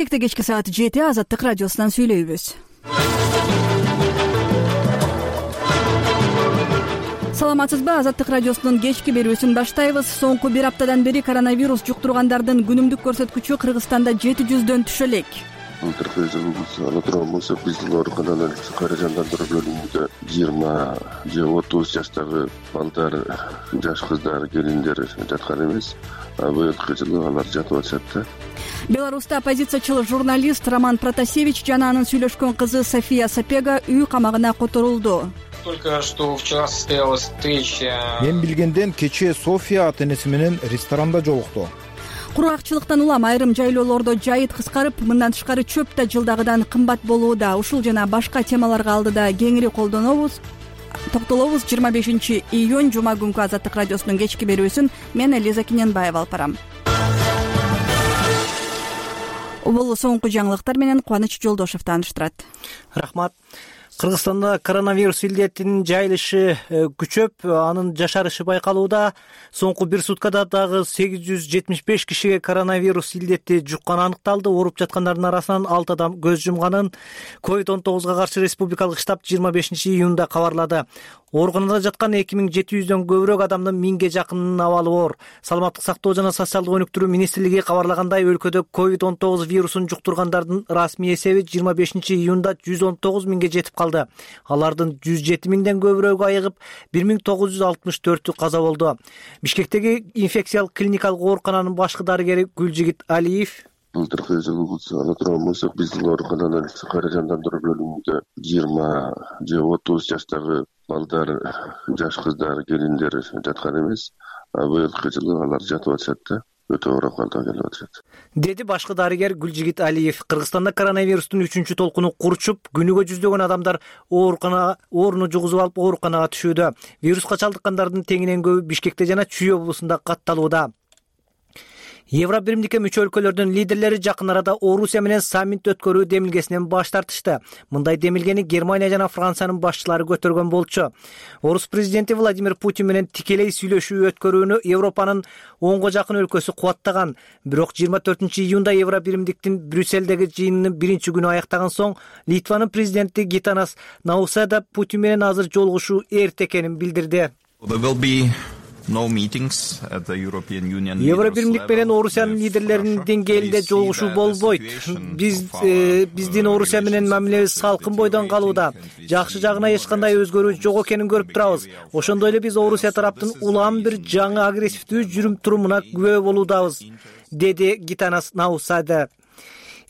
Кечки саат 7 Азаттык радиосунан сүйлөйбүз. Саламатсызбы? Азаттык радиосунун кечки берүүсүн баштайбыз. Соңку бир аптадан бери коронавирус жуктургандардын күнүмдүк көрсөткүчү Кыргызстанда 700дөн түшө элек. Былтыркы жылыбыз ала турган болсо биздин оорукананын кайра жандандыруу бөлүмүндө 20 же 30 жаштагы балдар, жаш кыздар, келиндер жаткан эмес. Быйылкы жылы алар жатып атышат да. Беларуста оппозициячыл журналист Роман Протасевич жана анын сүйлөшкөн кызы София Сапега үй камагына которулду. Только что вчера состоялась встреча. Мен билгенден кечээ София ата-энеси менен ресторанда жолукту. Кургакчылыктан улам айрым жайлоолордо жайыт кыскарып, мындан тышкары чөп да жылдагыдан кымбат болууда. Ушул жана башка темаларга алдыда кеңири токтолобуз. 25-июнь жума күнкү Азаттык радиосунун кечки берүүсүн мен Элиза Киненбаева алып барам. Бул соңку жаңылыктар менен Кубаныч Жолдошов тааныштырат. Рахмат. Кыргызстанда коронавирус илдетинин жайылышы күчөп, анын жашарышы байкалууда. Соңку бир суткада дагы 875 кишиге коронавирус илдети жукканы аныкталды. Ооруп жаткандардын арасынан 6 адам көз жумганын COVID-19 каршы республикалык штаб 25-июнда кабарлады. Ооруканада жаткан 2700дөн көбүрөөк адамдын 1000ге жакынынын абалы оор. Саламаттык сактоо жана социалдык өнүктүрүү министрлиги кабарлагандай, өлкөдө COVID-19 вирусун жуктургандардын расмий эсеби 25-июнда 119 миңге жетип калды. Алардын 107 миңден көбүрөөгү айыгып, 1964 каза болду. Бишкектеги инфекциялык клиникалык оорукананын башкы дарыгери Гүлжигит Алиев Былтыркы жылыбыз ала турган болсо биздин оорукананын кайра жандандыруу бөлүмүндө 20 же 30 жаштагы балдар, жаш кыздар, келиндер жаткан эмес. Быйылкы жылы алар жатып атышат да. Өтө оор акыбалда келип атышат, деди башкы дарыгер Гүлжигит Алиев. Кыргызстанда коронавирустун 3-чү толкуну курчуп, күнүгө жүздөгөн адамдар ооруну жугузуп алып ооруканага түшүүдө. Вируска чалдыккандардын теңинен көбү Бишкекте жана Чүй облусунда катталууда. Евро биримдикке мүчө өлкөлөрдүн лидерлери жакын арада Орусия менен саммит өткөрүү демилгесинен баш тартышты. Мындай демилгени Германия жана Франциянын башчылары көтөргөн болчу. Орус президенти Владимир Путин менен тикелей сүйлөшүү өткөрүүнү Европанын 10го жакын өлкөсү кубаттаган. Бирок 24-июнда Евро биримдиктин Брюсселдеги жыйынынын биринчи күнү аяктаган соң Литванын президенти Гитанас Науседа Путин менен азыр жолугушуу эрте экенин билдирди. Евро биримдик менен Орусиянын лидерлеринин деңгээлинде жолугушуу болбойт. Биздин Орусия менен мамилебиз салкын бойдон калууда. Жакшы жагына эч кандай өзгөрүү жок экенин көрүп турабыз. Ошондой эле биз Орусия тараптын улам бир жаңы агрессивдүү жүрүм-турумуна күбө болуудабыз, деди Гитанас Науседа.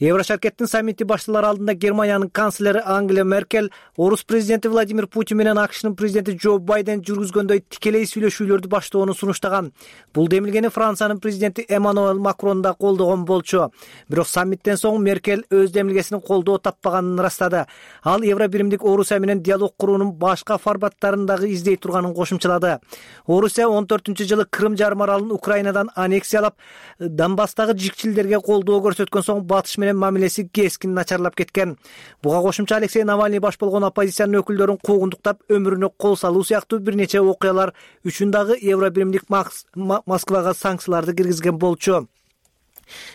Еврошаркеттин саммити башталар алдында Германиянын канцлери Ангела Меркель Орус президенти Владимир Путин менен АКШнын президенти Джо Байден жүргүзгөндөй тикелей сүйлөшүүлөрдү баштоону сунуштаган. Бул демилгени Франциянын президенти Эммануэль Макрон да колдогон болчу. Бирок саммиттен соң Меркель өз демилгесинин колдоо таппаганын ырастады. Ал Евро биримдик Орусия менен диалог куруунун башка форматтарын дагы издей турганын кошумчалады. Орусия 14-жылы Крым жарым аралын Украинадан аннексиялап, Донбасстагы жикчилдерге колдоо көрсөткөн соң батыш менен мамилеси кескин начарлап кеткен. Буга кошумча Алексей Навальный баш болгон оппозициянын өкүлдөрүн куугундуктап өмүрүнө кол салуу сыяктуу бир нече окуялар үчүн дагы Евро биримдик Москвага санкцияларды киргизген болчу.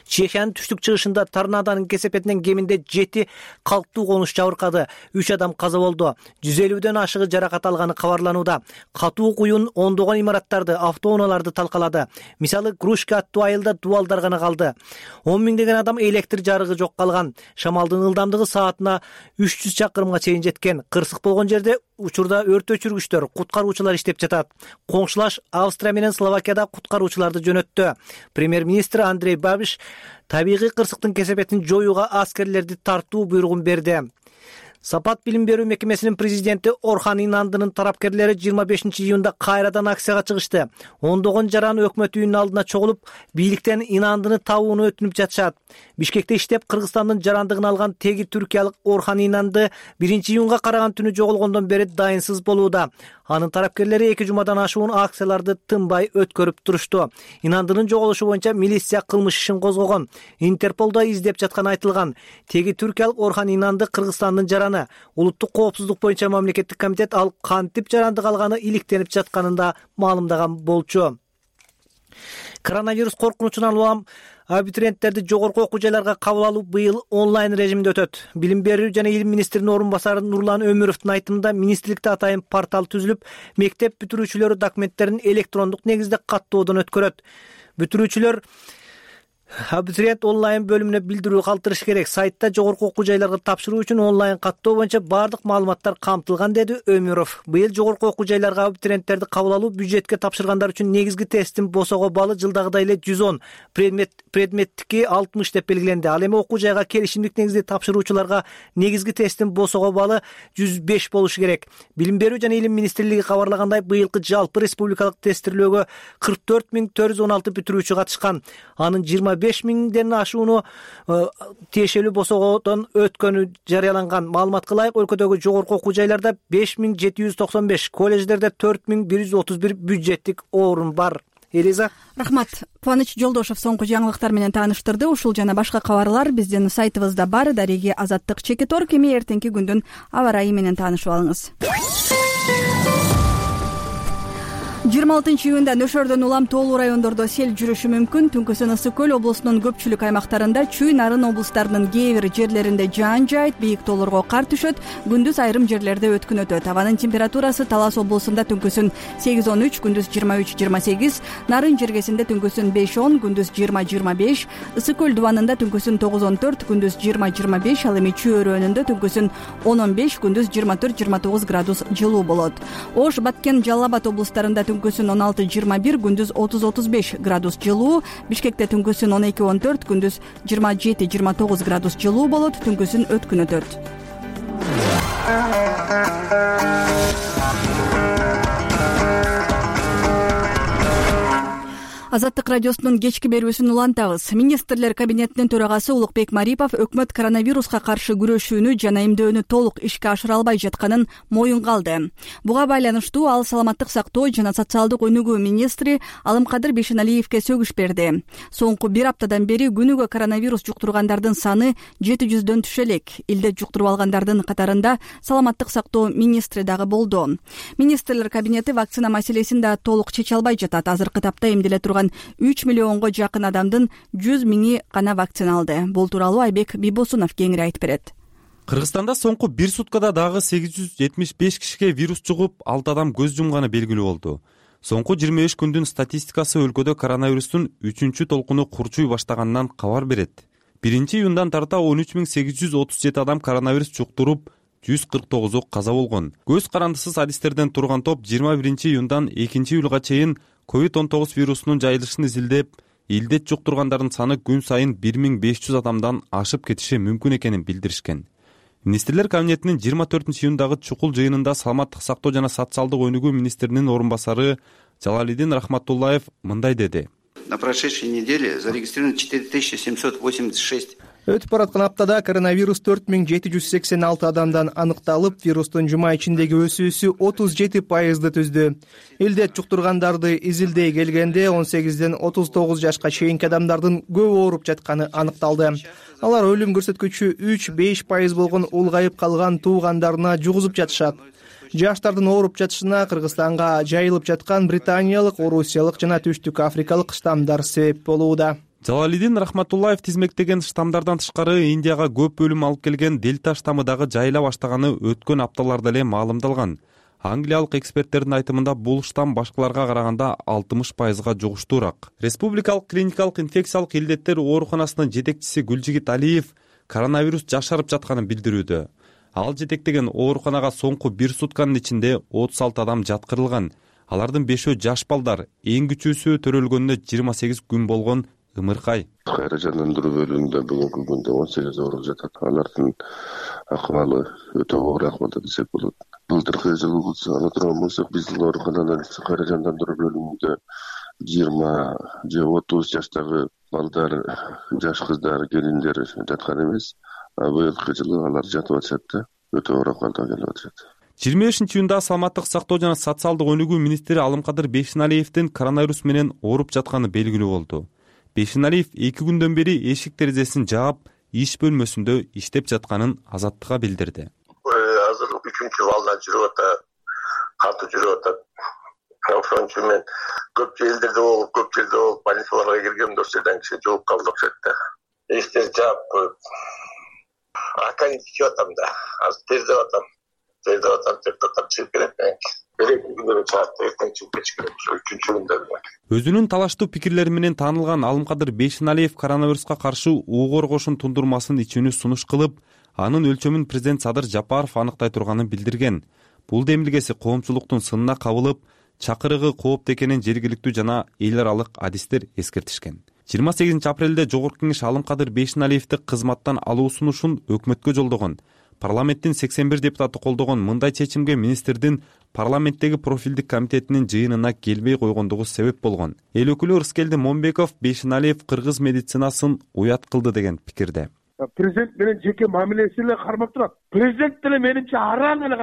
Чехиянын түштүк чыгышында торнадонун кесепетинен кеминде 7 калктуу конуш жабыркады. 3 адам каза болду. 150дөн ашыгы жаракат алганы кабарланууда. Катуу куюн ондогон имараттарды, автоунааларды талкалады. Мисалы, Грушка аттуу айылда дубалдар гана калды. 10 миңдеген адам электр жарыгы жок калган. Шамалдын ылдамдыгы саатына 300 чакырымга чейин жеткен. Кырсык болгон жерде учурда өрт өчүргүчтөр, куткаруучулар иштеп жатат. Коңшулаш Австрия менен Словакияда куткаруучуларды жөнөттү. Премьер-министр Андрей Бабиш табигый кырсыктын кесепетин жоюуга аскерлерди тартуу буйругун берди. Сапат билим берүү мекемесинин президенти Орхан Инандынын тарапкерлери 25-июнда кайрадан акцияга чыгышты. Ондогон жаран өкмөт үйүнүн алдына чогулуп, бийликтен Инандыны табууну өтүнүп жатышат. Бишкекте иштеп, Кыргызстандын жарандыгын алган теги түркиялык Орхан Инанды 1-июнга караган түнү жоголгондон бери дайынсыз болууда. Анын тарапкерлери 2 жумадан ашуун акцияларды тынбай өткөрүп турушту. Инандынын жоголушу боюнча милиция кылмыш ишин козгогон. Интерполдо издеп жатканы айтылган. Теги түркиялык Орхан Инанды Кыргызстандын жараны. Улуттук коопсуздук боюнча мамлекеттик комитет ал кантип жарандык алганы иликтенип жатканын да маалымдаган болчу. Коронавирус коркунучунан улам Абитуриенттерди жогорку окуу жайларга кабыл алуу быйыл онлайн режимде өтөт. Билим берүү жана илим министринин орун басары Нурлан Өмүровдун айтымында министрликте атайын портал түзүлүп, мектеп бүтүрүүчүлөрү документтерин электрондук негизде каттоодон өткөрөт. Бүтүрүүчүлөр абитуриент онлайн бөлүмүнө билдирүү калтырыш керек. Сайтта жогорку окуу жайларга тапшыруу үчүн онлайн каттоо боюнча баардык маалыматтар камтылган, деди Өмүров. Быйыл жогорку окуу жайларга абитуриенттерди кабыл алуу бюджетке тапшыргандар үчүн негизги тесттин босого баллы жылдагыдай эле 110, предметтики 60 деп белгиленди. Ал эми окуу жайга келишимдик негизде тапшыруучуларга негизги тесттин босого баллы 105 болушу керек. Билим берүү жана илим министрлиги кабарлагандай, быйылкы жалпы республикалык тесттирлөөгө 44 416 бүтүрүүчү катышкан. Анын 25 миңден ашууну тиешелүү босогодон өткөнү жарыяланган. Маалыматка ылайык, өлкөдөгү жогорку окуу жайларда 5795, колледждерде 4131 бюджеттик орун бар. Элиза. Рахмат. Кубаныч Жолдошов соңку жаңылыктар менен тааныштырды. Ушул жана башка кабарлар биздин сайтыбызда бар. Дареги Азаттык Чекитор. Эми эртеңки күндүн аба ырайы менен таанышып алыңыз. 26 июнда Нөшөрдөн улам тоолуу райондордо сел жүрүшү мүмкүн. Түнкүсүн Ысык көл облусунун көпчүлүк аймактарында, Чүй, Нарын облустарынын кээ бир жерлеринде жаан жаайт, бийик тоолорго кар түшөт. Күндүз айрым жерлерде өткүн өтөт. Абанын температурасы Талас облусунда түнкүсүн 8-13, күндүз 23-28, Нарын жергесинде түнкүсүн 5-10, күндүз 20-25, Ысык көл дубанында түнкүсүн 9-14, күндүз 20-25, ал эми Чүй өрөөнүндө түнкүсүн 10-15, күндүз 24-29 градус жылуу болот. Ош, Баткен, Жалал Абад облустарында түнкүсүн 16-21, күндүз 30-35 градус жылуу. Бишкекте түнкүсүн 12-14, күндүз 27-29 градус жылуу болот. Түнкүсүн өткүн өтөт. Азаттык радиосунун кечки берүүсүн улантабыз. Министрлер кабинетинин төрагасы Улукбек Марипов өкмөт коронавируска каршы күрөшүүнү жана эмдөөнү толук ишке ашыра албай жатканын моюнга алды. Буга байланыштуу ал саламаттык сактоо жана социалдык өнүгүү министри Алымкадыр Бейшеналиевке сөгүш берди. Соңку бир аптадан бери күнүгө коронавирус жуктургандардын саны 700дөн түшө элек. Илдет жуктуруп алгандардын катарында саламаттык сактоо министри дагы болду. Министрлер кабинети вакцина маселесин да толук чече албай жатат. Азыркы тапта эмделе турган 3 миллионго жакын адамдын 100 миңи гана вакцина алды. Бул тууралуу Айбек Бибосунов кеңири айтып берет. Кыргызстанда соңку бир суткада дагы 875 кишиге вирус жугуп, 6 адам көз жумганы белгилүү болду. Соңку 25 күндүн статистикасы өлкөдө коронавирустун 3-чү толкуну курчуй баштаганынан кабар берет. 1-июндан тарта 13837 адам коронавирус жуктуруп, 149 каза болгон. Көз карандысыз адистерден турган топ 21-июндан 2-июлга чейин COVID-19 вирусунун жайылышын изилдеп, илдет жуктургандардын саны күн сайын 1500 адамдан ашып кетиши мүмкүн экенин билдиришкен. Министрлер кабинетинин 24-июндагы чукул жыйынында саламаттык сактоо жана социалдык өнүгүү министринин орун басары Жалалидин Рахматуллаев мындай деди. На прошедшей неделе зарегистрировано 4786. Өтүп бараткан аптада коронавирус 4786 адамдан аныкталып, вирустун жума ичиндеги өсүүсү 37% түздү. Илдет жуктургандарды изилдей келгенде 18ден 39 жашка чейинки адамдардын көп ооруп жатканы аныкталды. Алар өлүм көрсөткүчү 3-5% болгон улгайып калган туугандарына жугузуп жатышат. Жаштардын ооруп жатышына Кыргызстанга жайылып жаткан британиялык, орусиялык жана түштүк африкалык штаммдар себеп болууда. Жалалидин Рахматуллаев тизмектеген штаммдардан тышкары Индияга көп өлүм алып келген дельта штаммы дагы жайыла баштаганы өткөн апталарда эле маалымдалган. Англиялык эксперттердин айтымында бул штамм башкаларга караганда 60%га жугуштуураак. Республикалык клиникалык инфекциялык илдеттер ооруканасынын жетекчиси Гүлжигит Алиев коронавирус жашарып жатканын билдирүүдө. Ал жетектеген ооруканага соңку бир сутканын ичинде 36 адам жаткырылган. Алардын 5-өө жаш балдар, эң күчүүсү төрөлгөнүнө 28 күн болгон Ымыркай. Кайра жандандыруу бөлүмүндө бүгүнкү күндө 18 ооруп жатат. Алардын акыбалы өтө оор акыбалда десек болот. Былтыркы жылы ала турган болсок, биздин оорукананын кайра жандандыруу бөлүмүндө 20 же 30 жаштагы балдар, жаш кыздар, келиндер жаткан эмес. Быйылкы жылы алар жатып атышат да, өтө оор акыбалда келип атышат. 25-июнда саламаттык сактоо жана социалдык өнүгүү министри Алымкадыр Бейшеналиевдин коронавирус менен ооруп жатканы белгилүү болду. Бейшеналиев 2 күндөн бери эшик терезесин жаап, иш бөлмөсүндө иштеп жатканын Азаттыкка билдирди. Азыр 3-чү балдан жүрүп атат, катуу жүрүп атат. Ошон үчүн мен көп жердерде болуп, көп жерде болуп, больницаларга киргем, досьеден киши жууп калды окшойт да. Эштер жаап коюп, акани тичип атам да. Азыр тездеп атам, чыгып келет. Береки күндөрү чаатта эртең чыгып кетиш керек. Ошо 3-күндө. Өзүнүн талаштуу пикирлери менен таанылган Алымкадыр Бейшеналиев коронавируска каршы угор кошун тундурмасын ичүүнү сунуш кылып, анын өлчөмүн президент Садыр Жапаров аныктай турганын билдирген. Бул демилгеси коомчулуктун сынына кабылып, чакырыгы кооптуу экенин жергиликтүү жана эл аралык адистер эскертишкен. 28 апрелде Жогорку Кеңеш Алымкадыр Бейшеналиевди кызматтан алуу сунушун өкмөткө жолдогон. Парламенттин 81 депутаты колдогон мындай чечимге министрдин парламенттеги профилдик комитетинин жыйынына келбей койгондугу себеп болгон. Эл өкүлү Ырыскелди Момбеков Бейшеналиев кыргыз медицинасын уят кылды деген пикирде. Президент менен жеке мамилеси эле кармап турат. Президент деле менимче араң эле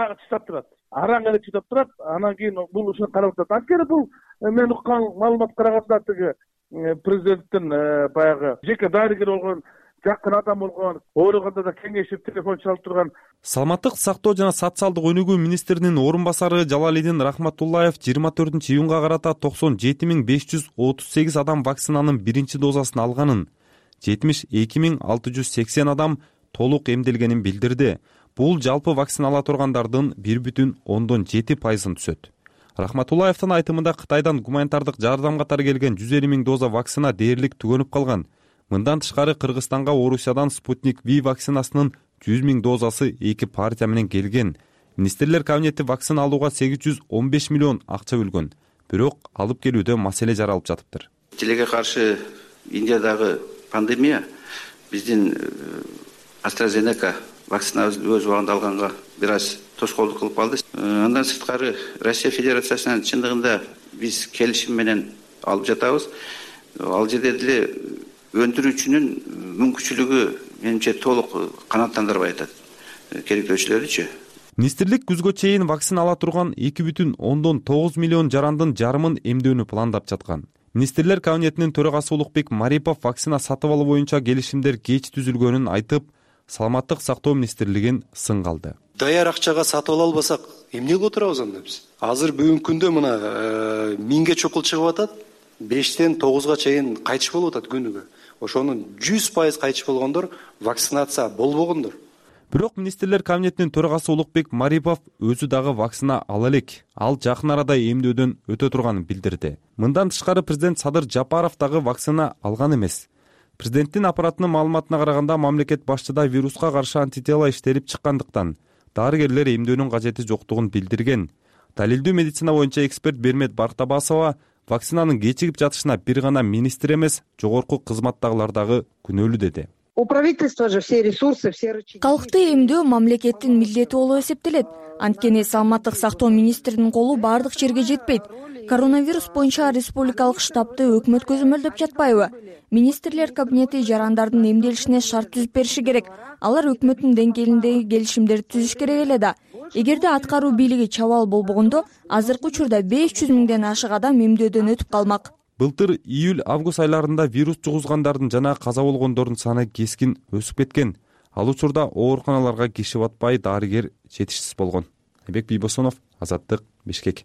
чыдап турат. Анан кийин бул ушуну карап атат. Анткени бул мен уккан маалымат караганда тиги президенттин баягы жеке дарыгер болгон, жакын адам болгон, оорuganda да кеңешип телефон чалып турган. Саламаттык сактоо жана социалдык өнүгүү министринин орун басары Жалалидин Рахматуллаев 24-июнга карата 97.538 адам вакцинанын биринчи дозасын алганын, 72.680 адам толук эмделгенин билдирди. Бул жалпы вакцина ала тургандардын 1,7%-ын түзөт. Рахматуллаевдин айтымында Кытайдан гуманитардык жардам катары келген 150.000 доза вакцина дээрлик түгөнүп калган. Мындан тышкары Кыргызстанга Орусиядан Спутник V вакцинасынын 100.000 дозасы 2 партия менен келген. Министрлер кабинети вакцина алууга 815 миллион акча бөлгөн. Бирок алып келүүдө маселе жаралып жатыптыр. Тилеге каршы Индиядагы пандемия биздин AstraZeneca вакцинабызды өз убагында алганга бир аз тоскоолдук кылып калды. Андан сырткары Россия Федерациясынан чындыгында биз келишим менен алып жатабыз. Ал жерде деле өндүрүүчүнүн мүмкүнчүлүгү менимче толук канааттандырбай атат. Керектөөчүлөрүчү. Министрлик күзгө чейин вакцина ала турган 2,9 миллион жарандын жарымын эмдөөнү пландап жаткан. Министрлер кабинетинин төрагасы Улукбек Марипов вакцина сатып алуу боюнча келишимдер кеч түзүлгөнүн айтып, Саламаттык сактоо министрлигин сынга алды. Даяр акчага сатып ала албасак, эмне кылып отурабыз анда биз? Азыр бүгүнкү күндө мына 1000ге чокул чыгып атат, 5тен 9га чейин кайтыш болуп атат күнүгө. Ошонун 100% кайтыш болгондор вакцинация болбогондор. Бирок министрлер кабинетинин төрагасы Улукбек Марипов өзү дагы вакцина ала элек. Ал жакын арада эмдөөдөн өтө турганын билдирди. Мындан тышкары президент Садыр Жапаров дагы вакцина алган эмес. Президенттин аппаратынын маалыматына караганда мамлекет башчыда вируска каршы антитела иштелип чыккандыктан дарыгерлер эмдөөнүн кажети жоктугун билдирген. Далилдүү медицина боюнча эксперт Бермет Бартабасова вакцинанын кечигип жатышына бир гана министр эмес, жогорку кызматтагылар дагы күнөөлүү деди. У правительства же все ресурсы, все рычаги. Калкты эмдөө мамлекеттин милдети болуп эсептелет. Анткени саламаттык сактоо министринин колу бардык жерге жетпейт. Коронавирус боюнча республикалык штабты өкмөт көзөмөлдөп жатпайбы? Министрлер кабинети жарандардын эмделишине шарт түзүп бериши керек. Алар өкмөттүн деңгээлиндеги келишимдерди түзүш керек эле да. Эгерде аткаруу бийлиги чабал болбогондо, азыркы учурда 500 миңден ашык адам эмдөөдөн өтүп калмак. Былтыр июль-август айларында вирус жугузгандардын жана каза болгондордун саны кескин өсүп кеткен. Ал учурда ооруканаларга киши батпай дарыгер жетишсиз болгон. Айбек Бийбосунов, Азаттык, Бишкек.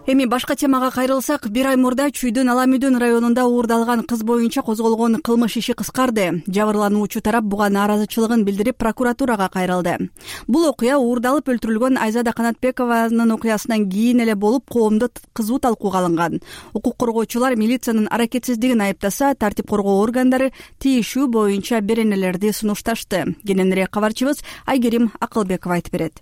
Эми башка темага кайрылсак, бир ай мурда Чүйдүн Аламүдүн районунда уурдалган кыз боюнча козголгон кылмыш иши кыскарды. Жабырлануучу тарап буга нааразычылыгын билдирип прокуратурага кайрылды. Бул окуя уурдалып өлтүрүлгөн Айзада Канатбекованын окуясынан кийин эле болуп, коомдо кызуу талкууга алынган. Укук коргоочулар милициянын аракетсиздигин айыптаса, тартип коргоо органдары тийишүү боюнча беренелерди сунушташты. Кененирээк кабарчыбыз Айгерим Акылбекова айтып берет.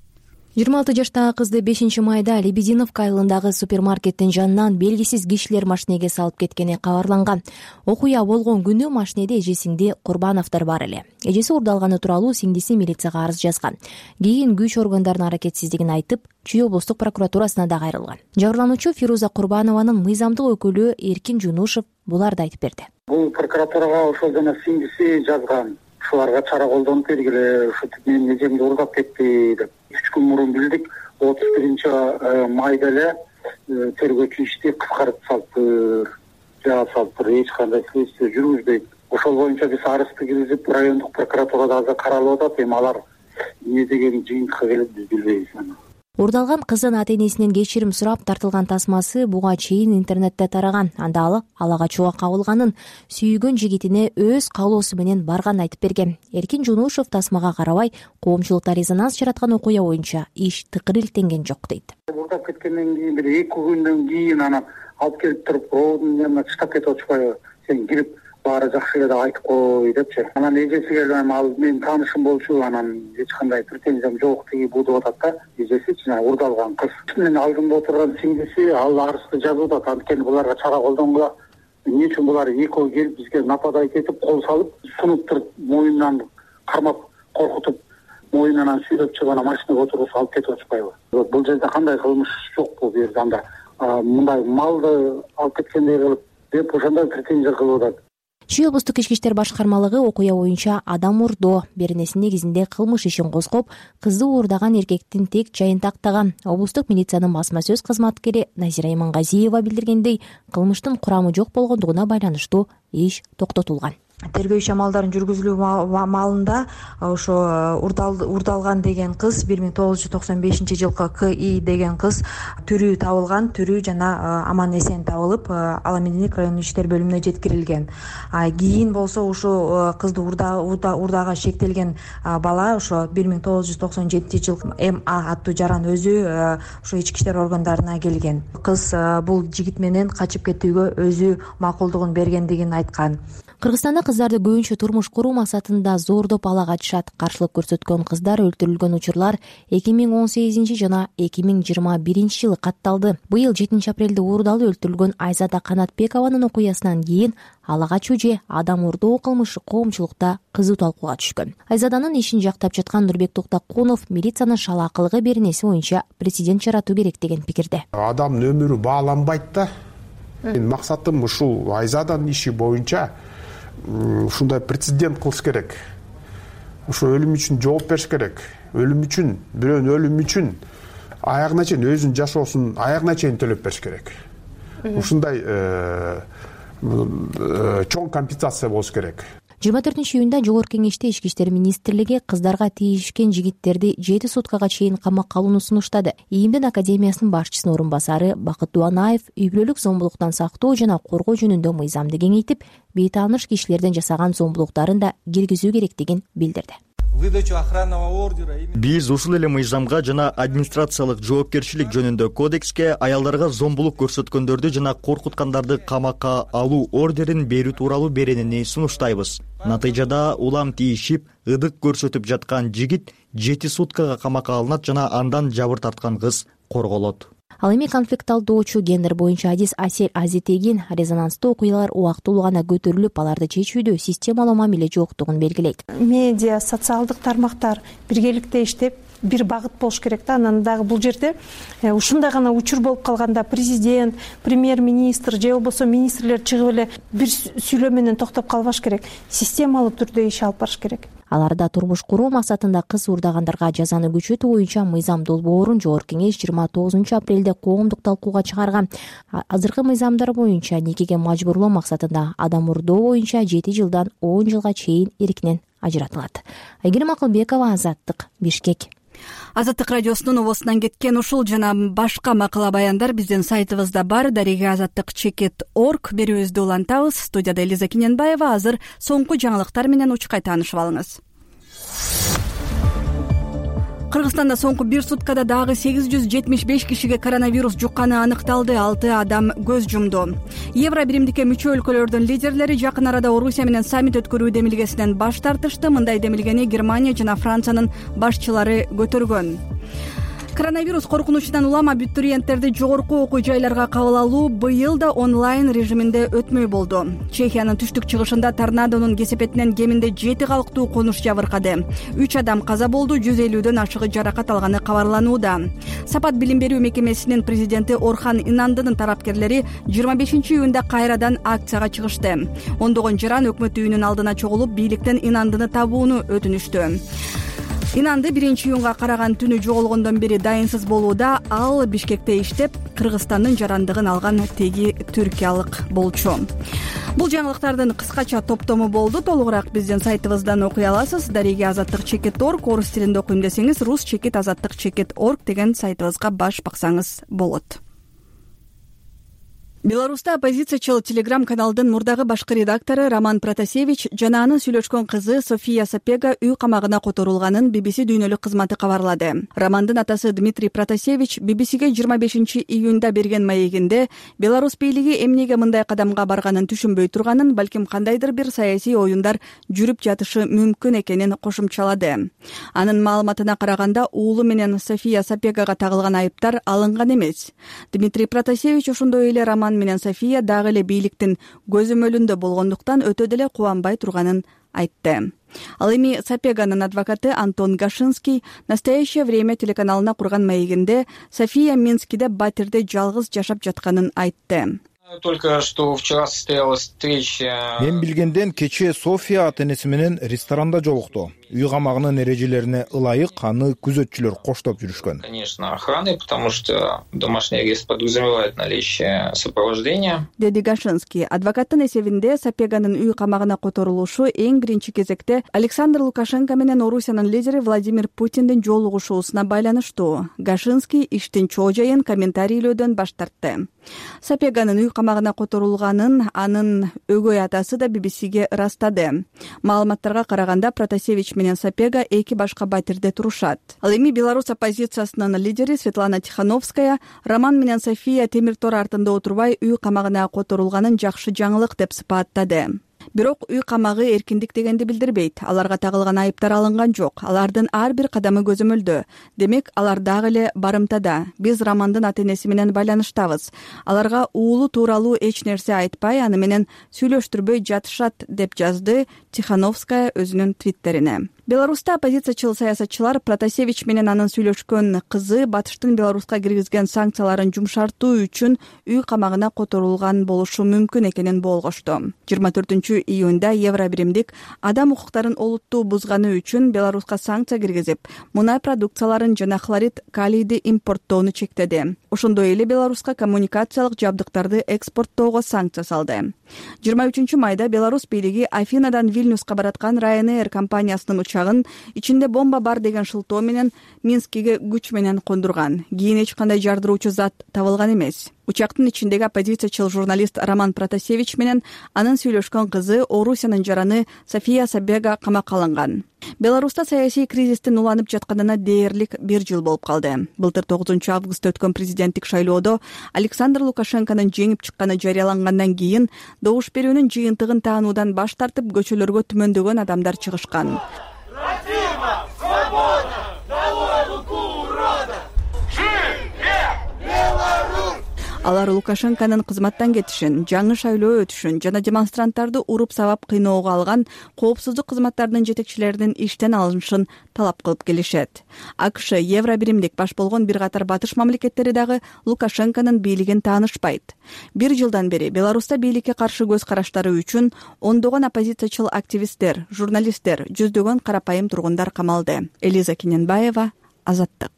26 жаштагы кызды 5-майда Лебединовка айылындагы супермаркеттин жанынан белгисиз кишилер машинеге салып кеткени кабарланган. Окуя болгон күнү машинеде эжесиңди Курбановдор бар эле. Эжеси уурдалганы тууралуу сиңдиси милицияга арыз жазган. Кийин күч органдарынын аракетсиздигин айтып, Чүй облустук прокуратурасына да кайрылган. Жабырлануучу Фируза Курбанованын мыйзамдык өкүлү Эркин Жунушев буларды айтып берди. Бул прокуратурага ошол жана сиңдиси жазган. Ушуларга чара колдонуп бергиле, ушу менин эжемди уурдап кетти деп. 3 күн мурун билдик, 31 майда эле тергөөчү ишти кыскартып салыптыр, эч кандай следствие жүргүзбөйт. ошол боюнча биз арызды киргизип райондук прокуратурада азыр каралып атат. Эми алар эмне деген жыйынтыкка келет биз билбейбиз. Уурдалган кыздын ата-энесинен кечирим сурап тартылган тасмасы буга чейин интернетте тараган. Анда ал ала качууга кабылганын, сүйгөн жигитине өз каалоосу менен барганын айтып берген. Эркин Жунушев тасмага карабай коомчулукта резонанс жараткан окуя боюнча иш тыкыр илтенген жок дейт. Уурдап кеткенден кийин бир 2 күндөн кийин анан алып келип туруп роодун янына чыштап кетип атышпайбы? Сен кирип баары жакшы эле деп айтып кой депчи. Анан эжеси келип ал менин таанышым болчу, анан эч кандай претензиям жок тиги бу деп атат да. Эжеси жана уурдалган кыз. Менин алдымда отурган сиңдиси ал арызды жазып атат. Анткени буларга чара колдонгула. Эмне үчүн булар экөө келип бизге нападать этип, кол салып, сунуп туруп, моюндан кармап, коркутуп, моюнунан сүйрөп чыгып анан машинага отургузуп алып кетип атышпайбы? Бул жерде кандай кылмыш жокпу бу жерде? Анда мындай малды алып кеткендей кылып деп ошондой претензия кылып атат. Чүй облустук ички иштер башкармалыгы окуя боюнча адам урдоо беренеси негизинде кылмыш ишин козгоп, кызды уурдаган эркектин тек жайын тактаган. Облустук милициянын басма сөз кызматкери Назира Имангазиева билдиргендей, кылмыштын курамы жок болгондугуна байланыштуу иш токтотулган. Тергөө иш амалдарын жүргүзүлүү маалында ошо уурдалган деген кыз 1995-жылкы КИ деген кыз тирүү табылган, тирүү жана аман эсен табылып, Ала Мединик райондук иштер бөлүмүнө жеткирилген. Кийин болсо ушул кызды уурдага шектелген бала ошо 1997-жылы МА аттуу жаран өзү ошо ички иштер органдарына келген. Кыз бул жигит менен качып кетүүгө өзү макулдугун бергендигин айткан. Кыргызстанда кыздарды көбүнчө турмуш куруу максатында зордоп ала качышат. Каршылык көрсөткөн кыздар өлтүрүлгөн учурлар 2018 жана 2021 жылы катталды. Быйыл 7 апрелде уурдалып өлтүрүлгөн Айзада Канатбекованын окуясынан кийин ала качуу же адам урдоо кылмышы коомчулукта кызуу талкууга түшкөн. Айзаданын ишин жактап жаткан Нурбек Токтокунов милициянын шалаакылыгы беренеси боюнча прецедент жаратуу керек деген пикирде. Адамдын өмүрү бааланбайт да. Максатым ушул Айзаданын иши боюнча ушундай прецедент кылыш керек. Ошо өлүм үчүн жооп бериш керек. Өлүм үчүн, бирөөнүн өлүмү үчүн аягына чейин өзүнүн жашоосун аягына чейин төлөп бериш керек. Ушундай чоң компенсация болуш керек. 24-июнда Жогорку Кеңеште Ички иштер министрлиги кыздарга тийишкен жигиттерди 7 суткага чейин камакка алууну сунуштады. ИИМдин академиясынын башчысынын орун басары Бакыт Дуанаев үй бүлөлүк зомбулуктан сактоо жана коргоо жөнүндө мыйзамды кеңейтип, бейтааныш кишилерден жасаган зомбулуктарын да киргизүү керектигин билдирди. Биз ушул эле мыйзамга жана администрациялык жоопкерчилик жөнүндө кодекске аялдарга зомбулук көрсөткөндөрдү жана коркуткандарды камакка алуу ордерин берүү тууралуу беренени сунуштайбыз. Натыйжада улам тийишип, ыдык көрсөтүп жаткан жигит 7 суткага камакка алынат жана андан жабыр тарткан кыз корголот. Ал эми конфликт алуучу гендер боюнча адис Асель Азитегин резонанстуу окуялар убактылуу гана көтөрүлүп, аларды чечүүдө системалуу мамиле жоктугун белгилейт. Медиа, социалдык тармактар биргеликте иштеп, бир багыт болуш керек да. Анан дагы бул жерде ушундай гана учур болуп калганда президент, премьер-министр же болбосо министрлер чыгып эле бир сүйлөө менен токтоп калбаш керек. Системалуу түрдө иш алып барыш керек. Аларда турмуш куруу максатында кыз уурдагандарга жазаны күчөтүү боюнча мыйзам долбоорун Жогорку Кеңеш 29 апрелде коомдук талкууга чыгарган. Азыркы мыйзамдар боюнча никеге мажбурлоо максатында адам урдоо боюнча 7 жылдан 10 жылга чейин эркинен ажыратылат. Айгерим Акылбекова, Азаттык, Бишкек. Азаттык радиосунун обосунан кеткен ушул жана башка макала баяндар биздин сайтыбызда бар. Дареге azattik.org берүүбүздү улантабыз. Студияда Элиза Киненбаева. Азыр соңку жаңылыктар менен учкай таанышып алыңыз. Кыргызстанда соңку бир суткада дагы 875 кишиге коронавирус жукканы аныкталды. 6 адам көз жумду. Евро биримдикке мүчө өлкөлөрдүн лидерлери жакын арада Орусия менен саммит өткөрүү демилгесинен баш тартышты. Мындай демилгени Германия жана Франциянын башчылары көтөргөн. Коронавирус коркунучунан улам абитуриенттерди жогорку окуу жайларга кабыл алуу быйыл да онлайн режиминде өтмөй болду. Чехиянын түштүк чыгышында торнадонун кесепетинен кеминде 7 калктуу конуш жабыркады. 3 адам каза болду, 150дөн ашыгы жаракат алганы кабарланууда. Сапат билим берүү мекемесинин президенти Орхан Инандынын тарапкерлери 25-июнда кайрадан акцияга чыгышты. Ондогон жаран өкмөт үйүнүн алдына чогулуп, бийликтен Инандыны табууну өтүнүштү. Инанды 1-июнга караган түнү жоголгондон бери дайынсыз болууда. Ал Бишкекте иштеп, Кыргызстандын жарандыгын алган теги түркиялык болчу. Бул жаңылыктардын кыскача топтому болду. Толугураак биздин сайтыбыздан окуй аласыз. Дареги азаттык чекит.орг, орус тилинде окуйм десеңиз рус чекит азаттык чекит.орг деген сайтыбызга баш баксаңыз болот. Беларуста оппозициячыл телеграм-каналдын мурдагы башкы редактору Роман Протасевич жана анын сүйлөшкөн кызы София Сапега үй камагына которулганын BBC дүйнөлүк кызматы кабарлады. Романдын атасы Дмитрий Протасевич BBCге 25-июнда берген маегинде Беларусь бийлиги эмнеге мындай кадамга барганын түшүнбөй турганын, балким кандайдыр бир саясий оюндар жүрүп жатышы мүмкүн экенин кошумчалады. Анын маалыматына караганда, уулу менен София Сапегага тагылган айыптар алынган эмес. Дмитрий Протасевич ошондой эле Роман менен София дагы эле бийликтин көзөмөлүндө болгондуктан өтө деле кубанбай турганын айтты. Ал эми Сапеганын адвокаты Антон Гашинский «Настоящее время» телеканалына курган маегинде София Минскиде батирде жалгыз жашап жатканын айтты. Только что вчера состоялась встреча. Мен билгенден кечээ София ата-энеси менен ресторанда жолукту. Үй камагынын эрежелерине ылайык аны күзөтчүлөр коштоп жүрүшкөн. Конечно, охраны, потому что домашний арест подразумевает наличие сопровождения. Деди Гашинский. Адвокаттын эсебинде Сапеганын үй камагына которулушу эң биринчи кезекте Александр Лукашенко менен Орусиянын лидери Владимир Путиндин жолугушуусуна байланыштуу. Гашинский иштин чоо жайын комментарийлөөдөн баш тартты. Сапеганын үй камагына которулганын анын өгөй атасы да BBCге ырастады. Маалыматтарга караганда Протасевич менен Сапега эки башка батирде турушат. Ал эми Беларусь оппозициясынын лидери Светлана Тихановская Роман менен София темир тор артында отурбай үй камагына которулганын жакшы жаңылык деп сыпаттады. Бирок үй камагы эркиндик дегенди билдирбейт. Аларга тагылган айыптар алынган жок. Алардын ар бир кадамы көзөмөлдө. Демек, алар дагы эле барымтада. Биз Романдын ата-энеси менен байланыштабыз. Аларга уулу тууралуу эч нерсе айтпай, аны менен сүйлөштүрбөй жатышат, деп жазды Тихановская өзүнүн твиттерине. Беларуста оппозициячыл саясатчылар Протасевич менен анын сүйлөшкөн кызы батыштын Беларуска киргизген санкцияларын жумшартуу үчүн үй камагына которулган болушу мүмкүн экенин болгошту. 24-июнда Евробиримдик адам укуктарын олуттуу бузганы үчүн Беларуска санкция киргизип, мунай продукцияларын жана хлорид калийди импорттоону чектеди. Ошондой эле Беларуска коммуникациялык жабдыктарды экспорттоого санкция салды. 23-майда Беларусь бийлиги Афинадан Вильнюска бараткан Ryanair компаниясынын учагын ичинде бомба бар деген шылтоо менен Минскиге күч менен кондурган. Кийин эч кандай жардыруучу зат табылган эмес. Учактын ичиндеги оппозициячыл журналист Роман Протасевич менен анын сүйлөшкөн кызы Орусиянын жараны София Сапега камакка алынган. Беларуста саясий кризистин уланып жатканына дээрлик 1 жыл болуп калды. Былтыр 9-августта өткөн президенттик шайлоодо Александр Лукашенконун жеңип чыкканы жарыялангандан кийин добуш берүүнүн жыйынтыгын таануудан баш тартып көчөлөргө түмөндөгөн адамдар чыгышкан. Алар Лукашенконун кызматтан кетишин, жаңы шайлоо өтүшүн жана демонстранттарды уруп сабап кыйноого алган коопсуздук кызматтарынын жетекчилеринин иштен алынышын талап кылып келишет. АКШ, Евробиримдик баш болгон бир катар батыш мамлекеттери дагы Лукашенконун бийлигин таанышпайт. 1 жылдан бери Беларуста бийликке каршы көз караштары үчүн ондогон оппозициячыл активисттер, журналисттер, жүздөгөн карапайым тургундар камалды. Элиза Кененбаева, Азаттык.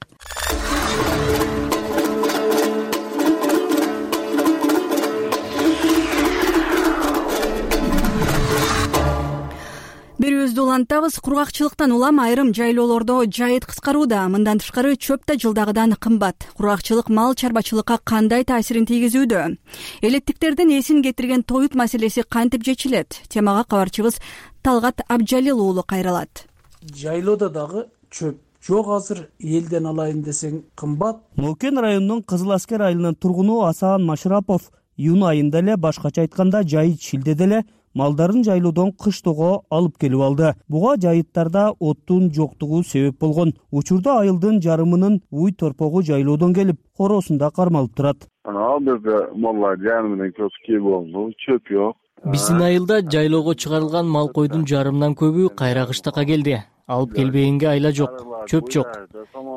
Берүүбүздү улантабыз. Кургакчылыктан улам айрым жайлоолордо жайыт кыскарууда. Мындан тышкары чөп да жылдагыдан кымбат. Кургакчылык мал чарбачылыкка кандай таасирин тийгизүүдө? Элеттиктердин эсин кетирген тоют маселеси кантип чечилет? Темага кабарчыбыз Талгат Абджалил уулу кайрылат. Жайлоодо дагы чөп жок, азыр элден алайын десең кымбат. Нолкен районунун Кызыл Аскер айылынын тургуну Асаан Машрапов июнь айында эле, башкача айтканда жайыт шилдеде эле малдарын жайлоодон кыштоого алып келип алды. Буга жайыттарда оттун жоктугу себеп болгон. Учурда айылдын жарымынын уй торпогу жайлоодон келип, хоросунда кармалып турат. Ал жерде маллар жаны менен көчкө болду, чөп жок. Биздин айылда жайлоого чыгарылган мал койдун жарымынан көбү кайра кыштакка келди. Алып келбегенге айла жок, чөп жок.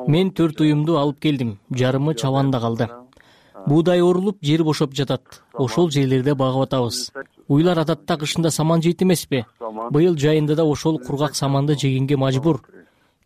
Мен 4 уюмду алып келдим, жарымы чабанда калды. Буудай орулуп, жер бошоп жатат. Ошол жерлерде багып атабыз. Уйлар адатта кышында саман жейт эмеспи? Быйыл жайында да ошол кургак саманды жегенге мажбур.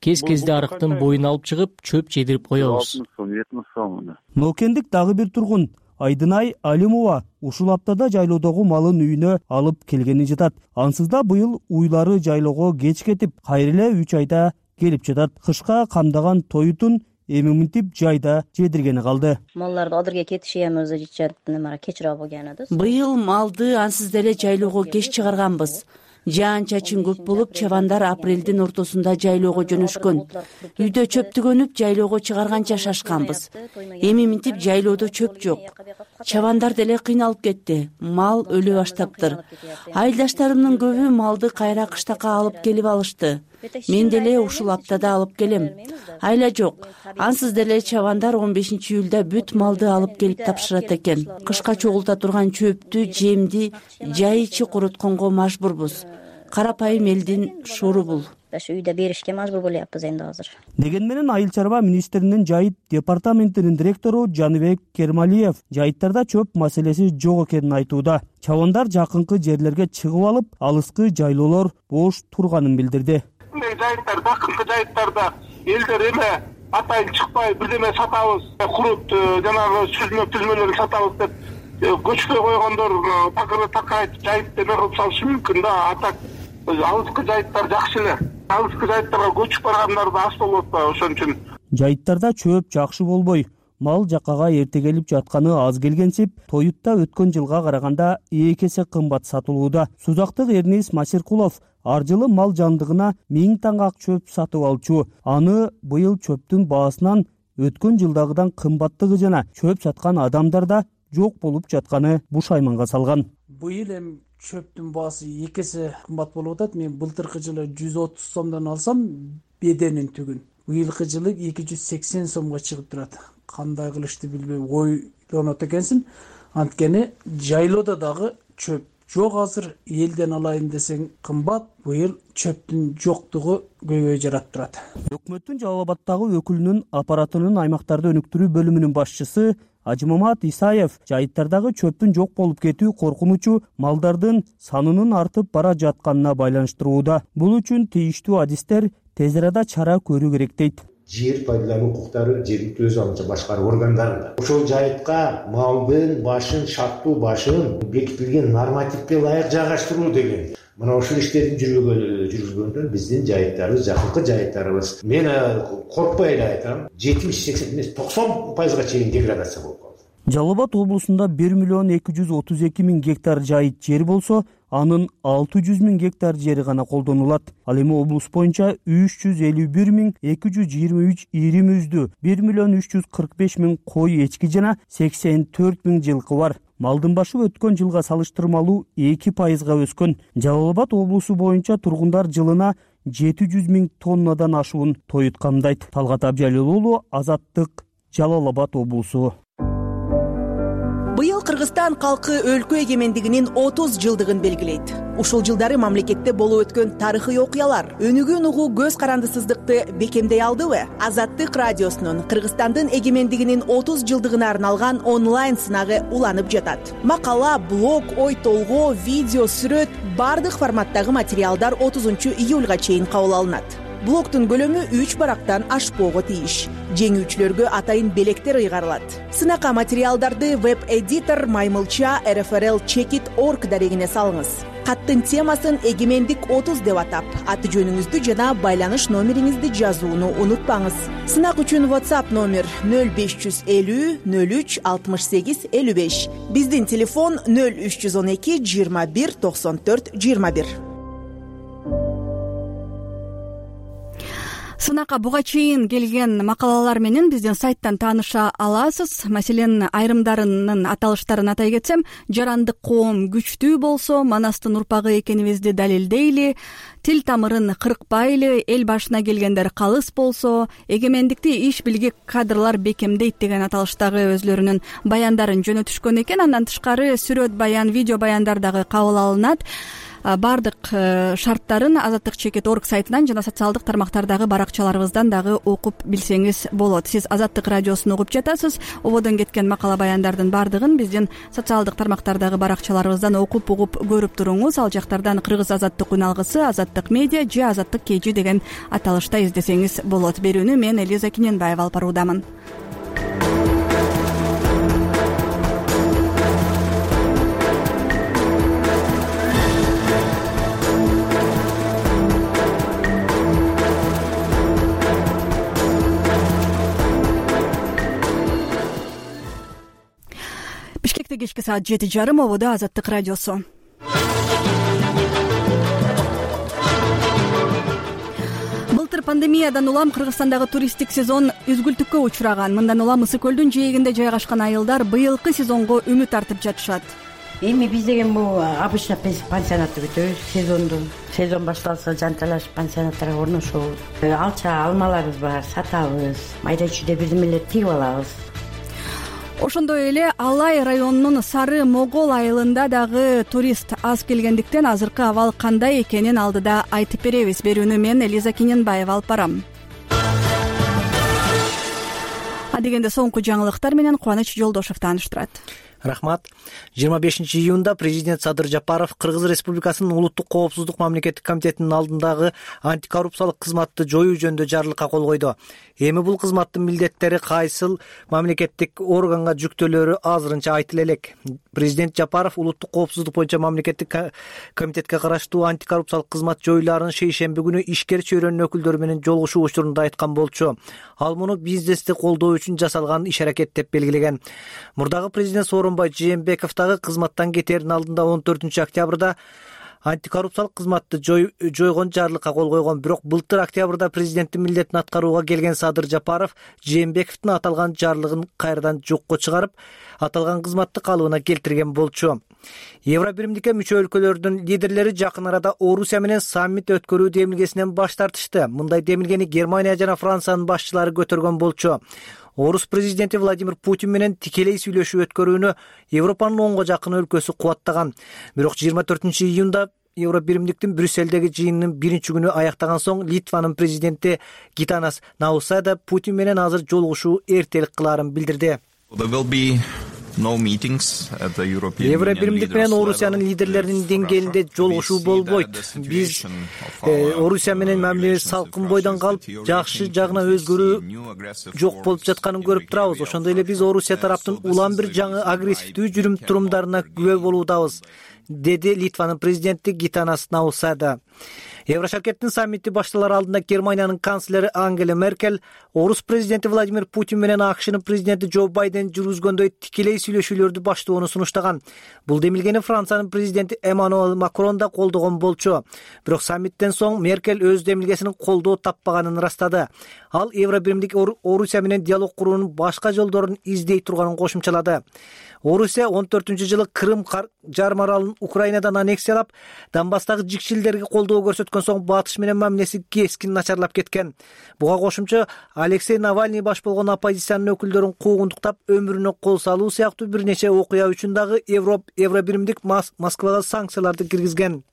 кез кезде арыктын боюн алып чыгып чөп жедирип коебуз. 70 сом. Нокендик дагы бир тургун Айдынай Алимова ушул аптада жайлоодогу малын үйүнө алып келгени жатат. Ансыз да быйыл уйлары жайлоого кеч кетип, кайра эле 3 айда келип жатат. Кышка камдаган тоютун эми мынтип жайда жедиргени калды. Малларды адырга кетиши эми өзү кечирээк болгон да. Быйыл малды ансыз деле жайлоого кеч чыгарганбыз. Жаан чачын көп болуп, чабандар апрелдин ортосунда жайлоого жөнөшкөн. Үйдө чөп түгөнүп, жайлоого чыгарганча шашканбыз. Эми мынтип жайлоодо чөп жок. Чабандар деле кыйналып кетти. Мал өлө баштаптыр. Айылдаштарымдын көбү малды кайра кыштакка алып келип алышты. Мен деле ушул аптада алып келем. Айла жок. Ансыз деле чабандар 15-июлда бүт малды алып келип тапшырат экен. Кышка чогулта турган чөптү, жемди жай ичи курутконго мажбурбуз. Карапайым элдин шору бул. Үйдө беришке мажбур болуппуз энди азыр. Деген менен Айыл чарба министринин жайыт департаментинин директору Жаныбек Кермалиев жайыттарда чөп маселеси жок экенин айтууда. Чабандар жакынкы жерлерге чыгып алып, алыскы жайлоолор бош турганын билдирди. Жайыттар, жакынкы жайыттарда элдер эме атайын чыкпай бирдеме сатабыз, курут жанагы түзмөлөрүн сатабыз деп көчкөй койгондор такырайтып жайытты эме кылып салышы мүмкүн да. Атак алыскы жайыттар жакшы эле. Алыскы жайыттарга көчүп баргандар да аз болот да, ошон үчүн. Жайыттарда чөп жакшы болбой, мал жакага эрте келип жатканы аз келгенсип, тоютта өткөн жылга караганда 2 эсе кымбат сатылууда. Сузактык Эрнис Масиркулов ар жылы мал жандыгына 1000 таңак чөп сатып алчу. Аны быйыл чөптүн баасынан өткөн жылдагыдан кымбаттыгы жана чөп саткан адамдарда жок болуп жатканы бушайманга салган. Быйыл эми чөптүн баасы 2 эсе кымбат болуп атат. Мен былтыркы жылы 130 сомдон алсам беденин түгүн. Быйылкы жылы 280 сомго чыгып турат. Кандай кылышты билбей ойлонот экенсин. Анткени жайлоодо дагы чөп жок азыр, элден алайын десең кымбат. Быйыл чөптүн жоктугу көйгөй жаратып турат. Өкмөттүн Жалал Абаддагы өкүлүнүн аппаратынын аймактарды өнүктүрүү бөлүмүнүн башчысы Ажымамат Исаев жайыттардагы чөптүн жок болуп кетүү коркунучу малдардын санынын артып бара жатканына байланыштырууда. Бул үчүн тийиштүү адистер тез арада чара көрүү керек дейт. Жер пайдалануу укуктары жергиликтүү өз алдынча башкаруу органдарында. Ошол жайытка малдын башын, шарттуу башын бекитилген нормативге ылайык жайгаштыруу деген. Мына ошол иштерди жүргүзгөндө биздин жайыттарыбыз, жакынкы жайыттарыбыз, мен коркпой эле айтам, 70-80 эмес 90% чейин деградация болуп калды. Жалал Абад облусунда 1.232.000 гектар жайыт жер болсо, анын 600.000 гектар жери гана колдонулат. Ал эми облус боюнча 351.223 ири мүйүздүү, 1.345.000 кой эчки жана 84.000 жылкы бар. Малдын башы өткөн жылга салыштырмалуу 2%га өскөн. Жалал Абад облусу боюнча тургундар жылына 700.000 тоннадан ашуун тоют камдайт. Талгат Абжалил уулу, Азаттык, Жалал Абад облусу. Быйыл Кыргызстан калкы өлкө эгемендигинин 30 жылдыгын белгилейт. Ушул жылдары мамлекетте болуп өткөн тарыхый окуялар өнүгүүнү угуу көз карандысыздыкты бекемдей алдыбы? Азаттык радиосунун Кыргызстандын эгемендигинин 30 жылдыгына арналган онлайн сынагы уланып жатат. Макала, блог, ой толгоо, видео, сүрөт бардык форматтагы материалдар 30 июлга чейин кабыл алынат. Блогтун көлөмү 3 барактан ашпоого тийиш. Жеңүүчүлөргө атайын белектер ыйгарылат. Сынакка материалдарды веб-эдитор Маймылча rfrl-checkit.org дарегине салыңыз. Каттын темасын эгемендик 30 деп атап, аты жөнүңүздү жана байланыш номериңизди жазууну унутпаңыз. Сынак үчүн WhatsApp номер 0550 03 68 55. Биздин телефон 0312 21 94 21. Сынакка буга чейин келген макалалар менен биздин сайттан тааныша аласыз. Маселен, айрымдарынын аталыштарын атай кетсем, жарандык коом күчтүү болсо, Манастын урпагы экенибизди далилдейли, тил тамырын кыркпайлы, эл башына келгендер калыс болсо, эгемендикти иш билгек кадрлар бекемдейт деген аталыштагы өзлөрүнүн баяндарын жөнөтүшкөн экен. Андан тышкары сүрөт баян, видео баяндар дагы кабыл алынат. баардык шарттарын Азаттык чекит орг сайтынан жана социалдык тармактардагы баракчаларыбыздан дагы окуп билсеңиз болот. Сиз Азаттык радиосун угуп жатасыз. Ободон кеткен макала баяндардын баардыгын биздин социалдык тармактардагы баракчаларыбыздан окуп угуп көрүп туруңуз. Ал жактардан Кыргыз Азаттык үналгысы, Азаттык медиа же Азаттык KG деген аталышта издесеңиз болот. Берүүнү мен Элиза Киненбаева алып баруудамын. Бишкекте кечки саат 7:30 ободо Азаттык радиосу. Былтыр пандемиядан улам Кыргызстандагы туристтик сезон үзгүлтүккө учураган. Мындан улам Ысык көлдүн жээгинде жайгашкан айылдар быйылкы сезонго үмүт артып жатышат. Эми биз деген бул обычно пансионатты күтөбүз. Сезон башталса жанталашып пансионаттарга орношобуз. Алча алмаларыбыз бар, сатабыз. Майда чүйдө бирдемелерди тигип алабыз. Ошондой эле Алай районунун Сары Могол айылында дагы турист аз келгендиктен азыркы абал кандай экенин алдыда айтып беребиз. Берүүнү мен Элиза Киненбаева алып барам. Адегенде соңку жаңылыктар менен Кубаныч Жолдошев тааныштырат. Рахмат. 25-июнда президент Садыр Жапаров Кыргыз Республикасынын улуттук коопсуздук мамлекеттик комитетинин алдындагы антикоррупциялык кызматты жоюу жөнүндө жарлыкка кол койду. Эми бул кызматтын милдеттери кайсыл мамлекеттик органга жүктөлөрү азырынча айтыла элек. Президент Жапаров улуттук коопсуздук боюнча мамлекеттик комитетке караштуу антикоррупциялык кызмат жоюларын шейшемби күнү ишкер чөйрөнүн өкүлдөрү менен жолугушуу учурунда айткан болчу. Ал муну бизнести колдоо үчүн жасалган иш-аракет деп белгилеген. Мурдагы президент Сооронбай Жээнбеков дагы кызматтан кетердин алдында 14 октябрда антикоррупциялык кызматты жойгон жарлыкка кол койгон. Бирок былтыр октябрда президенттин милдетин аткарууга келген Садыр Жапаров Жээнбековдун аталган жарлыгын кайрадан жокко чыгарып, аталган кызматты калыбына келтирген болчу. Евробиримдикке мүчө өлкөлөрдүн лидерлери жакын арада Орусия менен саммит өткөрүү демилгесинен баш тартышты. Мындай демилгени Германия жана Франциянын башчылары көтөргөн болчу. Орус президенти Владимир Путин менен тикелей сүйлөшүү өткөрүүнү Европанын 10го жакын өлкөсү кубаттаган. Бирок 24-июнда Евробиримдиктин Брюсселдеги жыйынынын биринчи күнү аяктаган соң Литванын президенти Гитанас Наусяда Путин менен азыр жолугушуу эртелик кылаарын билдирди. Евробиримдик менен Орусиянын лидерлеринин деңгээлинде жолугушуу болбойт. Биз Орусия менен мамилебиз салкын бойдон калып, жакшы жагына өзгөрүү жок болуп жатканын көрүп турабыз. Ошондой эле биз Орусия тараптын улам бир жаңы агрессивдүү жүрүм-турумдарына күбө болуудабыз, деди Литванын президенти Гитанас Наусяда. Еврошаркеттин саммити башталар алдында Германиянын канцлери Ангела Меркель Орус президенти Владимир Путин менен АКШнын президенти Джо Байден жүргүзгөндөй тикелей сүйлөшүүлөрдү баштоону сунуштаган. Бул демилгени Франциянын президенти Эммануэль Макрон да колдогон болчу. Бирок саммиттен соң Меркель өз демилгесинин колдоо таппаганын ырастады. Ал Евробиримдик Орусия менен диалог куруунун башка жолдорун издей турганын кошумчалады. Орусия 14-жылы Крым жарым аралын Украинадан аннексиялап, Донбасстагы жикчилдерге колдоо көрсөткөн соң батыш менен мамилеси кескин начарлап кеткен. Буга кошумча Алексей Навальный баш болгон оппозициянын өкүлдөрүн куугунтуктап өмүрүнө кол салуу сыяктуу бир нече окуя үчүн дагы Евробиримдик Москвага санкцияларды киргизген.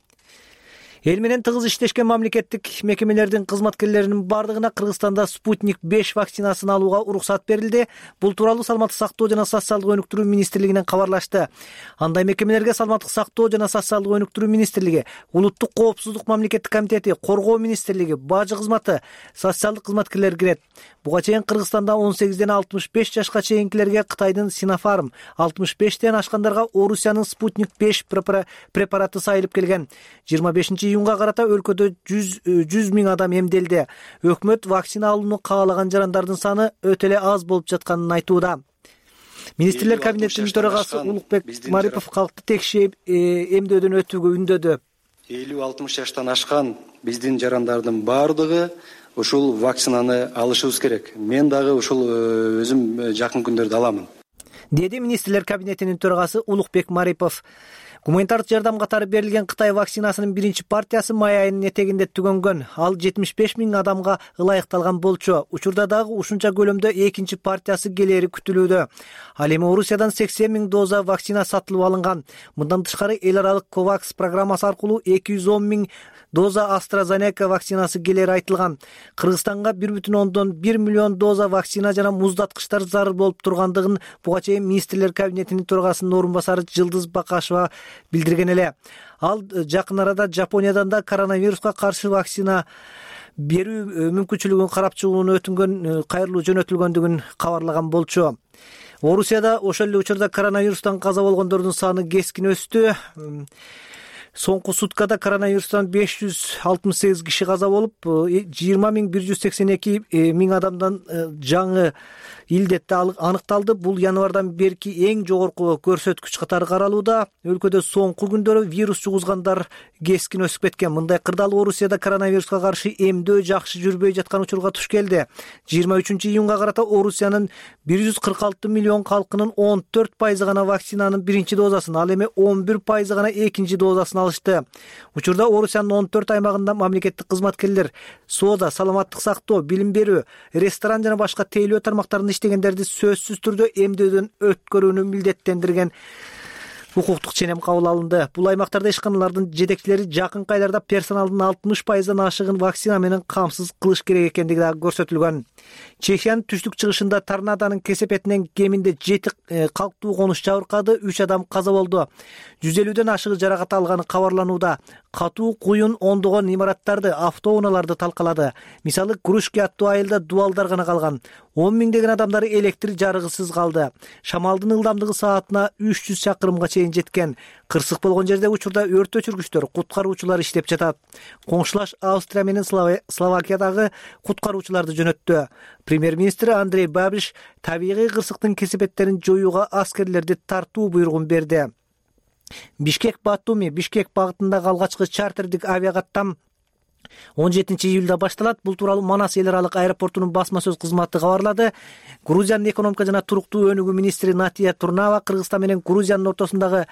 Эл менен тыгыз иштешкен мамлекеттик мекемелердин кызматкерлеринин бардыгына Кыргызстанда Спутник 5 вакцинасын алууга уруксат берилди. Бул тууралуу Саламаттык сактоо жана социалдык өнүктүрүү министрлигинен кабарлашты. Андай мекемелерге Саламаттык сактоо жана социалдык өнүктүрүү министрлиги, Улуттук коопсуздук мамлекеттик комитети, Коргоо министрлиги, Бажы кызматы, социалдык кызматкерлер кирет. Буга чейин Кыргызстанда 18ден 65 жашка чейинкилерге Кытайдын Sinopharm, 65тен ашкандарга Орусиянын Спутник 5 препараты сайылып келген. 25-июнга карата өлкөдө 100 миң адам эмделди. Өкмөт вакцина алууну каалаган жарандардын саны өтө эле аз болуп жатканын айтууда. Министрлер кабинетинин төрагасы Улукбек Марипов калкты текшеп эмдөөдөн өтүүгө үндөдү. 50-60 жаштан ашкан биздин жарандардын баардыгы ушул вакцинаны алышыбыз керек. Мен дагы ушул өзүм жакын күндөрдө аламын. деди министрлер кабинетинин төрагасы Улукбек Марипов. Гуманитардык жардам катары берилген Кытай вакцинасынын биринчи партиясы май айынын этегинде түгөнгөн. Ал 75 000 адамга ылайыкталган болчу. Учурда дагы ушунча көлөмдө экинчи партиясы келери күтүлүүдө. Ал эми Орусиядан 80 000 доза вакцина сатылып алынган. Мындан тышкары эл аралык COVAX программасы аркылуу 210 000 доза AstraZeneca вакцинасы келери айтылган. Кыргызстанга 1,1 миллион доза вакцина жана муздаткычтар зарыл болуп тургандыгын буга чейин министрлер кабинетинин төрагасынын орун басары Жылдыз Бакашева билдирген эле. Ал жакын арада Жапониядан да коронавируска каршы вакцина берүү мүмкүнчүлүгүн карап чыгууну өтүнгөн кайрылуу жөнөтүлгөндүгүн кабарлаган болчу. Орусияда ошол эле учурда коронавирустан каза болгондордун саны кескин өстү. Соңку суткада коронавирустан 568 киши каза болуп, 20 182 адамдан жаңы илдетте аныкталды. Бул январдан берки эң жогорку көрсөткүч катары каралууда. Өлкөдө соңку күндөрү вирус жугузгандар кескин өсүп кеткен. Мындай кырдаал Орусияда коронавируска каршы эмдөө жакшы жүрбөй жаткан учурга туш келди. 23-июнга карата Орусиянын 146 миллион калкынын 14% гана вакцинанын биринчи дозасын, ал эми 11% гана экинчи дозасын алышты. Учурда Орусиянын 14 аймагында мамлекеттик кызматкерлер соода, саламаттык сактоо, билим берүү, ресторан жана башка тейлөө тармактарында иштегендерди сөзсүз түрдө эмдөөдөн өткөрүүнү милдеттендирген укуктук ченем кабыл алынды. Бул аймактарда ишканалардын жетекчилери жакынкы айларда персоналдын 60%дан ашыгын вакцина менен камсыз кылыш керек экендиги дагы көрсөтүлгөн. Чехиянын түштүк-чыгышында торнадонун кесепетинен кеминде 7 калктуу конуш жабыркады, 3 адам каза болду. 150ден ашыгы жаракат алганы кабарланууда. Катуу куюн ондогон имараттарды, автоунааларды талкалады. Мисалы, Кружки аттуу айылда дубалдар гана калган. 10 миңдеген адамдар электр жарыгысыз калды. Шамалдын ылдамдыгы саатына 300 чакырымга чейин жеткен. Кырсык болгон жерде учурда өрт өчүргүчтөр, куткаруучулар иштеп жатат. Коңшулаш Австрия менен Словакиядагы куткаруучуларды жөнөттү. Премьер-министр Андрей Бабиш табигый кырсыктын кесепеттерин жоюуга аскерлерди тартуу буйругун берди. Бишкек-Батуми, Бишкек багытындагы алгачкы чартердик авиакаттам 17-июлда башталат. Бул тууралуу Манас эл аралык аэропортунун басма сөз кызматы кабарлады. Грузиянын экономика жана туруктуу өнүгүү министри Натия Турнава Кыргызстан менен Грузиянын ортосундагы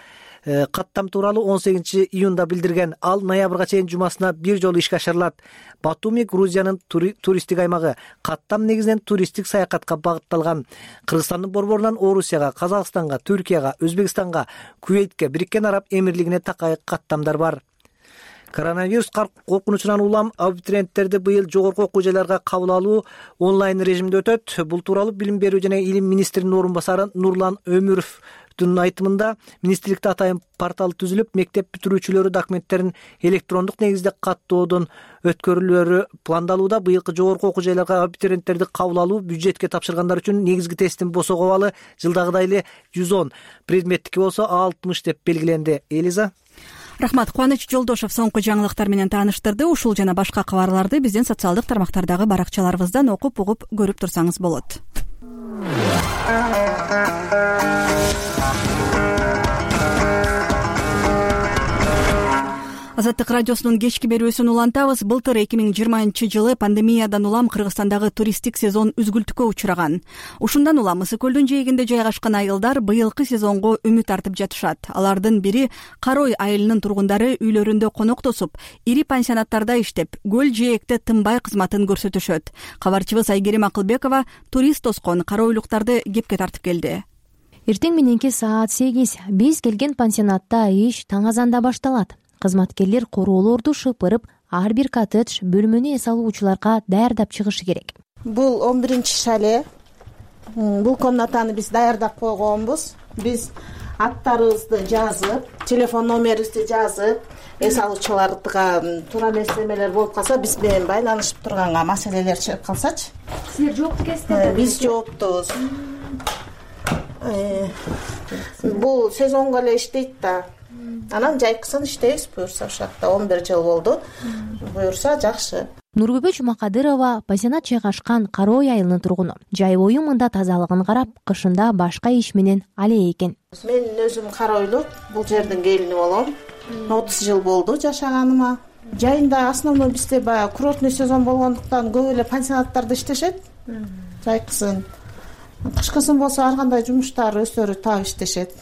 каттам тууралуу 18-июнда билдирген. Ал ноябрга чейин жумасына бир жолу ишке ашырылат. Батуми Грузиянын туристтик аймагы. Каттам негизинен туристтик саякатка багытталган. Кыргызстандын борборунан Орусияга, Казакстанга, Түркияга, Өзбекстанга, Кувейтке, Бириккен Араб Эмирлигине такай каттамдар бар. Коронавирус коркунучунан улам абитуриенттерди быйыл жогорку окуу жайларга кабыл алуу онлайн режимде өтөт. Бул тууралуу билим берүү жана илим министринин орун басары Нурлан Өмүровдун айтымында министрликте атайын портал түзүлүп, мектеп бүтүрүүчүлөрү документтерин электрондук негизде каттоодон өткөрүлөрү пландалууда. Быйылкы жогорку окуу жайларга абитуриенттерди кабыл алуу бюджетке тапшыргандар үчүн негизги тесттин босого абалы жылдагыдай эле 110, предметтики болсо 60 деп белгиленди. Элиза. Рахмат. Кубаныч Жолдошов соңку жаңылыктар менен тааныштырды. Ушул жана башка кабарларды биздин социалдык тармактардагы баракчаларыбыздан окуп угуп көрүп турсаңыз болот. Азаттык радиосунун кечки берүүсүн улантабыз. Былтыр 2020 жылы пандемиядан улам Кыргызстандагы туристтик сезон үзгүлтүккө учураган. Ушундан улам Ысык көлдүн жээгинде жайгашкан айылдар быйылкы сезонго үмүт артып жатышат. Алардын бири Карой айылынын тургундары үйлөрүндө коноктосуп, ири пансионаттарда иштеп, көл жээкте тынбай кызматын көрсөтүшөт. Кабарчыбыз Айгерим Акылбекова турист тоскон каройлуктарды кепке тартып келди. Эртең мененки саат 8 биз келген пансионатта иш таң азанда башталат. Кызматкерлер короолорду шыпырып, ар бир коттедж бөлмөнү эс алуучуларга даярдап чыгышы керек. Бул 11-чи шале. Бул комнатаны биз даярдап койгонбуз. Биз аттарыбызды жазып, телефон номерибизди жазып, эс алуучуларга туура эмес болуп калса, биз менен байланышып турганга, маселелер чыгып калсачы. Силер жоопту экенсиздер? Биз жооптубуз. Бул сезонго эле иштейт да. Анан жайкысын иштейбиз, буюрса ушакта 11 жыл болду. Буюрса жакшы. Нургүбө Жумакадырова пансионат жайгашкан Карой айылынын тургуну. Жай бою мында тазалыгын карап, кышында башка иш менен але экен. Мен өзүм Каройлук, бул жердин келини болом. 30 жыл болду жашаганыма. Жайында основной бизде баягы курортный сезон болгондуктан көп эле пансионаттарда иштешет. Жайкысын Кышкысын болсо ар кандай жумуштар өздөрү таап иштешет.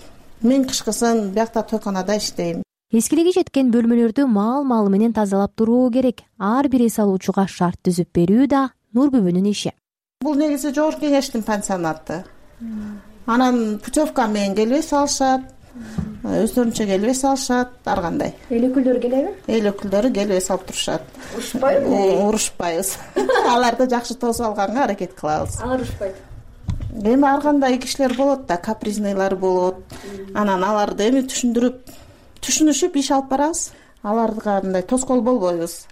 Мен кышкысын биякта тойканада иштейм. Эскилиги жеткен бөлмөлөрдү маал менен тазалап туруу керек. Ар бир эс алуучуга шарт түзүп берүү да Нурбүбүнүн иши. Бул негизи жогорку кеңештин пансионаты. Анан путевка менен келип эс алышат, өздөрүнчө келип эс алышат, ар кандай. Эл өкүлдөрү келеби? Эл өкүлдөрү келип эс алып турушат. Урушпайбыз. Аларды жакшы тосуп алганга аракет кылабыз. Алар урушпайт. Эми ар кандай кишилер болот да, капризныйлар болот. Анан аларды эми түшүнүшүп иш алып барабыз. Аларга мындай тоскоол болбойбуз.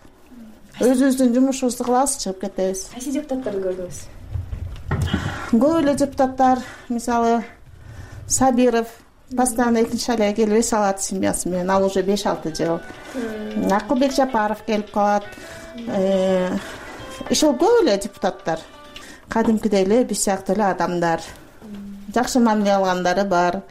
Өзүбүздүн жумушубузду кылабыз, чыгып кетебиз. Кайсы депутаттарды көрдүңүз? Көп эле депутаттар, мисалы Сабиров постоянно экинчи шайле келип эс алат семьясы менен, ал уже 5-6 жыл. Акылбек Жапаров келип калат. Ишул көп эле депутаттар. Кадимкидей эле биз сыяктуу эле адамдар. Жакшы мамиле алгандары бар.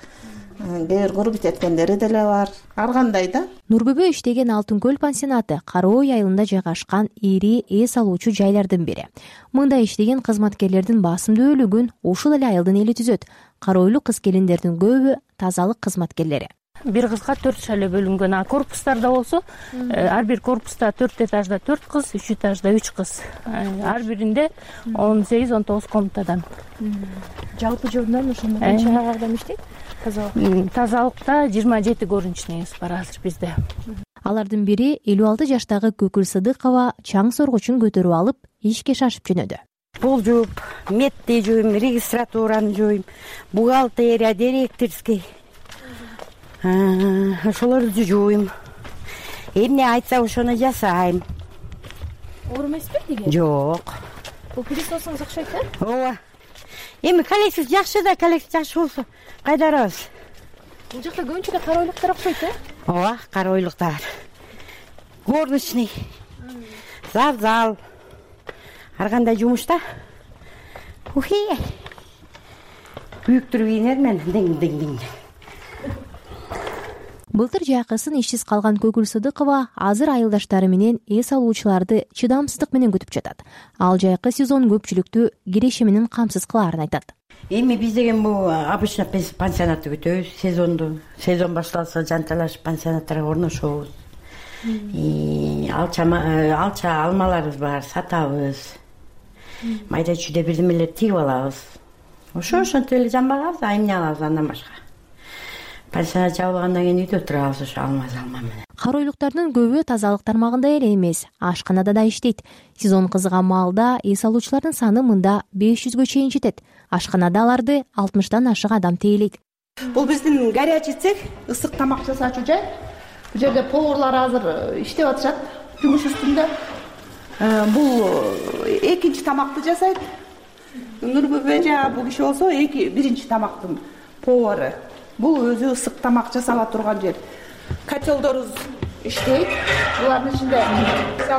Кээ бир курбут эткендери деле бар. Ар кандай да. Нурбүбү иштеген Алтын көл пансионаты Кароо айылында жайгашкан ири эс алуучу жайлардын бири. Мында иштеген кызматкерлердин басымдуу бөлүгүн ушул эле айылдын эли түзөт. Каройлуу кыз-келиндердин көбү тазалык кызматкерлери. Бир кызга 4 шайле бөлүнгөн. А корпустарда болсо, ар бир корпуста 4 этажда 4 кыз, 3 этажда 3 кыз. Ар биринде 18-19 комнатадан. Жалпы жылдан ошондо канча адам иштейт? Тазалыкта 27 горничныйыбыз бар азыр бизде. Алардын бири 56 жаштагы Көкүл Сыдыкова чаң соргучун көтөрүп алып, ишке шашып жөнөдү. Пол жууп, метти жууйм, регистратураны жууйм, бухгалтерия, директорский. Ошолорду жууйм. Эмне айтса ошону жасайм. Оор эмеспи деге? Жок. Бул пилисосуңуз окшойт да? Ооба. Эми коллектив жакшы да, коллектив жакшы болсо кайдарабыз. Бул жакта көбүнчө эле каройлуктар окшойт, Ооба, каройлуктар. Горничный, завзал, ар кандай жумушта. Күйүктүр кийинермен, диң. Былтыр жакысын ишсиз калган Көкүл Сыдыкова азыр айылдаштары менен эс алуучуларды чыдамсыздык менен күтүп жатат. Ал жайкы сезон көпчүлүктү киреше менен камсыз кылаарын айтат. Эми биз деген бул обычно пансионатты күтөбүз, сезонду. Сезон башталса жанталашып пансионаттарга орношобуз. Алча алмаларыбыз бар, сатабыз. Майда чүйдө бирдемелер тигип алабыз. Ошентип эле жамбагабыз, эмне алабыз андан башка. Пансионат жабылгандан кийин үйдө турабыз ошо алма менен. Каройлуктардын көбү тазалык тармагында эле эмес, ашканада да иштейт. Сезон кызыган маалда эс алуучулардын саны мында 500гө чейин жетет. Ашканада аларды 60тан ашык адам тейлейт. Бул биздин горячий цех, ысык тамак жасаачу жай. Бул жерде поварлар азыр иштеп атышат, жумуш үстүндө. Бул экинчи тамакты жасайт. Нурбүбү бул киши болсо биринчи тамактын повары. Бул өзү ысык тамак жасала турган жер. Котелдорубуз иштейт. Булардын ичинде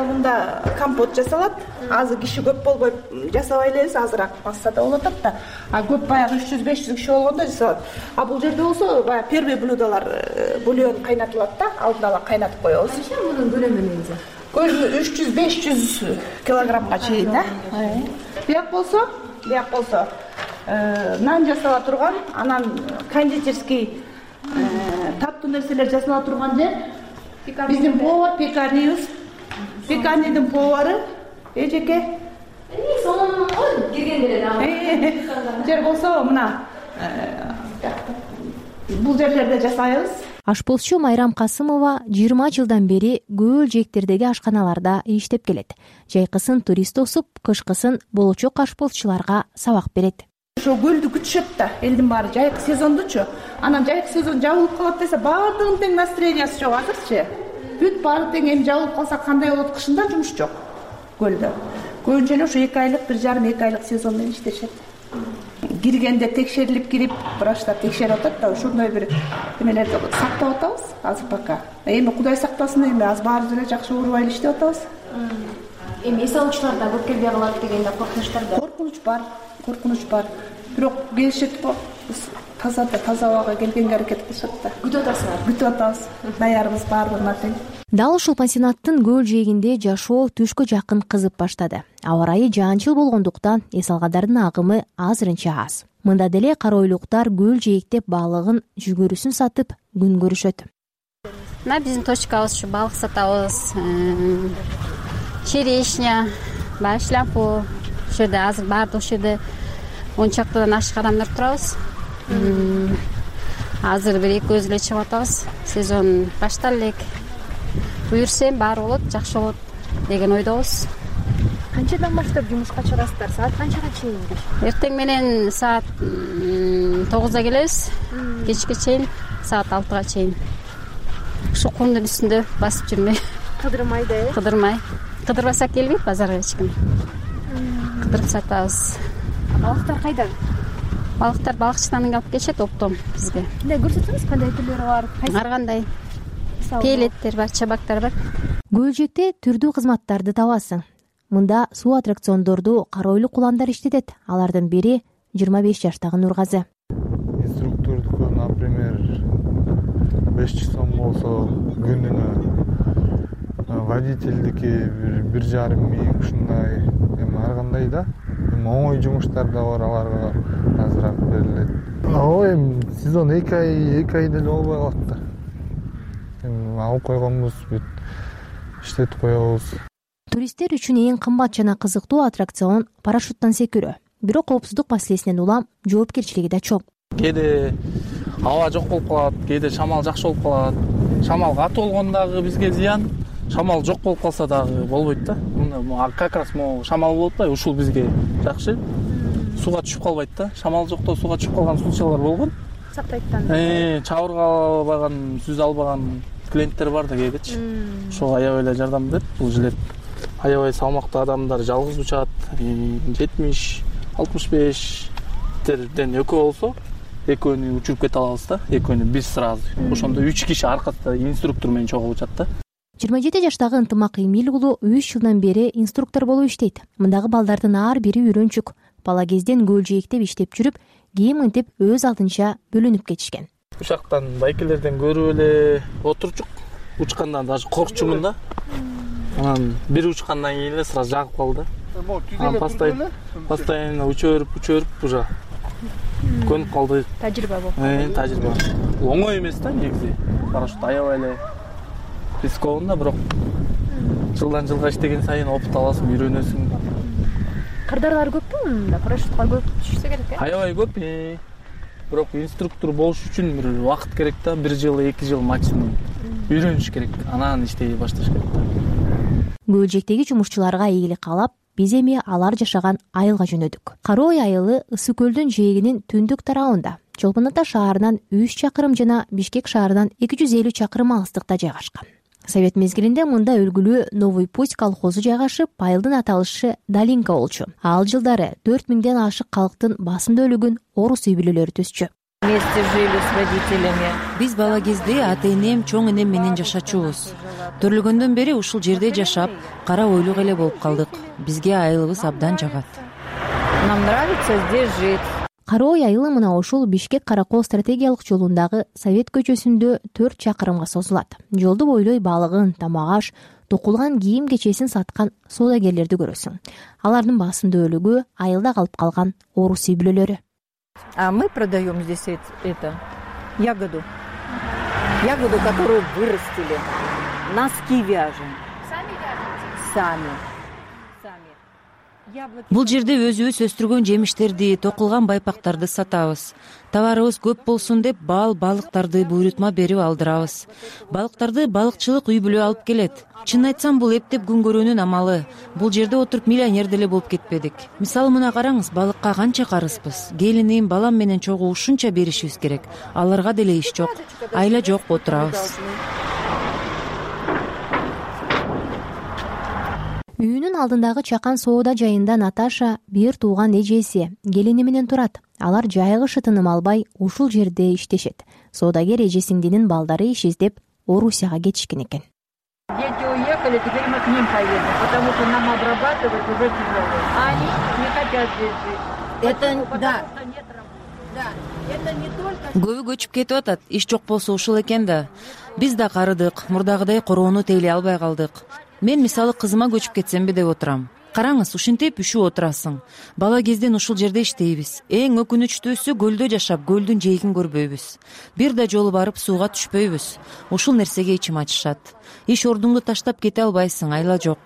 мында компот жасалат. Азыр киши көп болбой жасабай элебиз, азыраак басса да болот да. А көп баягы 300-500 киши болгондо жасалат. А бул жерде болсо баягы первый блюдолор бульон кайнатылат да, алдын ала кайнатып коебуз. Канча мунун көлөмү негизи? Көлөмү 300-500 килограммга чейин да. Бияк болсо нан жасала турган, анан кондитерский таптуу нерселер жасала турган жер. Биздин повар пекарнибиз. Пекарнидин повары эжеке. Сонун го киргенде эле. Жер болсо мына бул жерлерде жасайбыз. Ашпозчу Майрам Касымова 20 жылдан бери көл жээктердеги ашканаларда иштеп келет. Жайкысын турист тосуп, кышкысын болочок ашпозчуларга сабак берет. Ошо көлдү күтүшөт да, элдин баары жайкы сезондучу. Анан жайкы сезон жабылып калат десе, баардыгынын тең настроениясы жок азырчы. Бүт баары тең эми жабылып калса кандай болот, кышында жумуш жок көлдө. Көбүнчө эле ошо 2 айлык, 1,5-2 айлык сезон менен иштешет. Киргенде текшерилип кирип, врачтар текшерип атат да, ошондой бир эмелерди сактап атабыз азыр пока. Эми Кудай сактасын, эми аз баарыбыз эле жакшы уурбай эле иштеп атабыз. Эми эс алуучулар да көп келбей калат дегенде коркунучтар да. Коркунуч бар. Бирок келишет го, таза абага келгенге аракет кылышат да. Күтүп атабыз. Даярбыз баарыбызга тең. Дал ушул пансионаттын көл жээгинде жашоо түшкө жакын кызып баштады. Аба ырайы жаанчыл болгондуктан эс алгандардын агымы азырынча аз. Мында деле кара ойлуктар көл жээктеп балыгын жүгөрүсүн сатып күн көрүшөт. Мына биздин точкабыз ушу балык сатабыз. Черешня, шляпу. Ушул жерде азыр баардык ушул жерде 10 чактадан ашык адамдар турабыз. Азыр бир эки өзү эле чыгып атабыз. Сезон башталып элек. Буюрсем баары болот, жакшы болот деген ойдобуз. Канчадан баштап жумушка чыгасыздар? Саат канчага чейин? Эртең менен саат 9-да келебиз. Кечке чейин саат 6-га чейин. Ушу кумдун үстүндө басып жүрмөй. Кыдырмай да, Кыдырмай. Кыдырбасак келбейт базарга эч ким. Кыдырып сатабыз. Балыктар кайдан? Балыктар балыкчыдан алып келишет оптом бизге. Мындай көрсөтсөңүз, кандай түрлөрү бар? Ар кандай. Пелеттер бар, чабактар бар. Көлжекте түрдүү кызматтарды табасың. Мында суу аттракциондорду кара ойлуу куландар иштетет. Алардын бири 25 жаштагы Нургазы. Инструктордуку, например, 5 сом болсо күнүнө, водительдики 1,5 миң ушундай. Ар кандай да. Оңой жумуштар да бар, аларга азыраак берилет. Ой, сезон 2 ай деле болбой калат да. Алып койгонбуз, бүт иштетип коебуз. Туристтер үчүн эң кымбат жана кызыктуу аттракцион парашюттан секирүү. Бирок коопсуздук маселесинен улам жоопкерчилиги да чоң. Кээде аба жок болуп калат, кээде шамал жакшы болуп калат. Шамал катуу болгондо дагы бизге зыян, шамал жок болуп калса дагы болбойт да. Как раз шамал болуп атпайбы, ушул бизге жакшы. Сууга түшүп калбайт да. Шамал жокто сууга түшүп калган случайлар болгон. Сактайттан. Чабырга албаган, сүзө албаган клиенттер бар да кээдечи. Ошого аябай эле жардам берет бул жилет. Аябай салмактуу адамдар жалгыз учат, 70-65терден экөө болсо, экөөнү учуруп кете алабыз да, экөөнү биз сразу. Ошондо 3 киши аркасында инструктор менен чогуу учат да. 27 жаштагы Ынтымак Эмил уулу 3 жылдан бери инструктор болуп иштейт. Мындагы балдардын ар бири үйрөнчүк. Бала кезден көл жээктеп иштеп жүрүп, кийин мынтип өз алдынча бөлүнүп кетишкен. Ушактан байкелерден көрүп эле отурчук, учкандан даже коркчумун да. Анан бир учкандан кийин эле сразу жагып калды. Анан постоянно учуп уже көнүп калдык. Тажрыйба болуп. Тажрыйба. Оңой эмес да негизи. Парашют аябай эле рисковый да, бирок жылдан жылга иштеген сайын опыт аласың, үйрөнөсүң. Кырдаарлар көппү мында? Парашютка көп түшсө керек э? Аябай көп. Бирок инструктор болуш үчүн бир убакыт керек да, 1 жыл, 2 жыл максимум. Үйрөнүш керек, анан иштей башташ керек да. Көлжектеги жумушчуларга ийгилик каалап, биз эми алар жашаган айылга жөнөдүк. Кара Ой айылы Ысык көлдүн жээгинин түндүк тарабында. Чолпон Ата шаарынан 3 чакырым жана Бишкек шаарынан 250 чакырым алыстыкта жайгашкан. Совет мезгилинде мында өлгүлүү Новый путь колхозу жайгашып, айылдын аталышы Долинка болчу. Ал жылдары 4000ден ашык калктын басымда өлүгүн орус үй бүлөлөрү төзчү. Вместе жили с родителями. Биз бала кезде ата энем, чоң энем менен жашачубуз. Төрөлгөндөн бери ушул жерде жашап, кара ойлук эле болуп калдык. Бизге айылыбыз абдан жагат. Нам нравится здесь жить. Кара Ой айылы мына ушул Бишкек-Каракол стратегиялык жолундагы Совет көчөсүндө 4 чакырымга созулат. Жолду бойлой балыгын, тамак-аш, токулган кийим кечесин саткан соодагерлерди көрөсүң. Алардын басымда өлүгү айылда калып калган орус үй бүлөлөрү. А мы продаем здесь ягоду. Ягоду, которую вырастили. Носки вяжем. Сами вяжете? Сами. Бул жерде өзүбүз өстүргөн жемиштерди, токулган байпактарды сатабыз. Товарыбыз көп болсун деп балыктарды буйрутма берип алдырабыз. Балыктарды балыкчылык үй бүлө алып келет. Чын айтсам, бул эптеп күн көрүүнүн амалы. Бул жерде отуруп миллионер деле болуп кетпедик. Мисалы мына караңыз, балыкка канча карызбыз. Келиним, балам менен чогуу ушунча беришибиз керек. Аларга деле иш жок, айла жок, отурабыз. Үйүнүн алдындагы чакан соода жайында Наташа бир тууган эжеси, келини менен турат. Алар жайгышы тыным албай ушул жерде иштешет. Соодагер эжесиңдинин балдары иш издеп Орусияга кетишкен экен. Дети уехали, теперь мы к ним поедем, потому что нам обрабатывать уже тяжело. А они не хотят здесь жить. Это не только... Көбү көчүп кетип атат, иш жок болсо ушул экен да. Биз да карыдык, мурдагыдай короону тейлей албай калдык. Мен мисалы кызыма көчүп кетсемби деп отурам. Караңыз, ушинтип үшүп отурасың. Бала кезден ушул жерде иштейбиз. Эң өкүнүчтүүсү көлдө жашап, көлдүн жээгин көрбөйбүз. Бир да жолу барып сууга түшпөйбүз. Ушул нерсеге ичим ачышат. Иш ордуңду таштап кете албайсың, айла жок.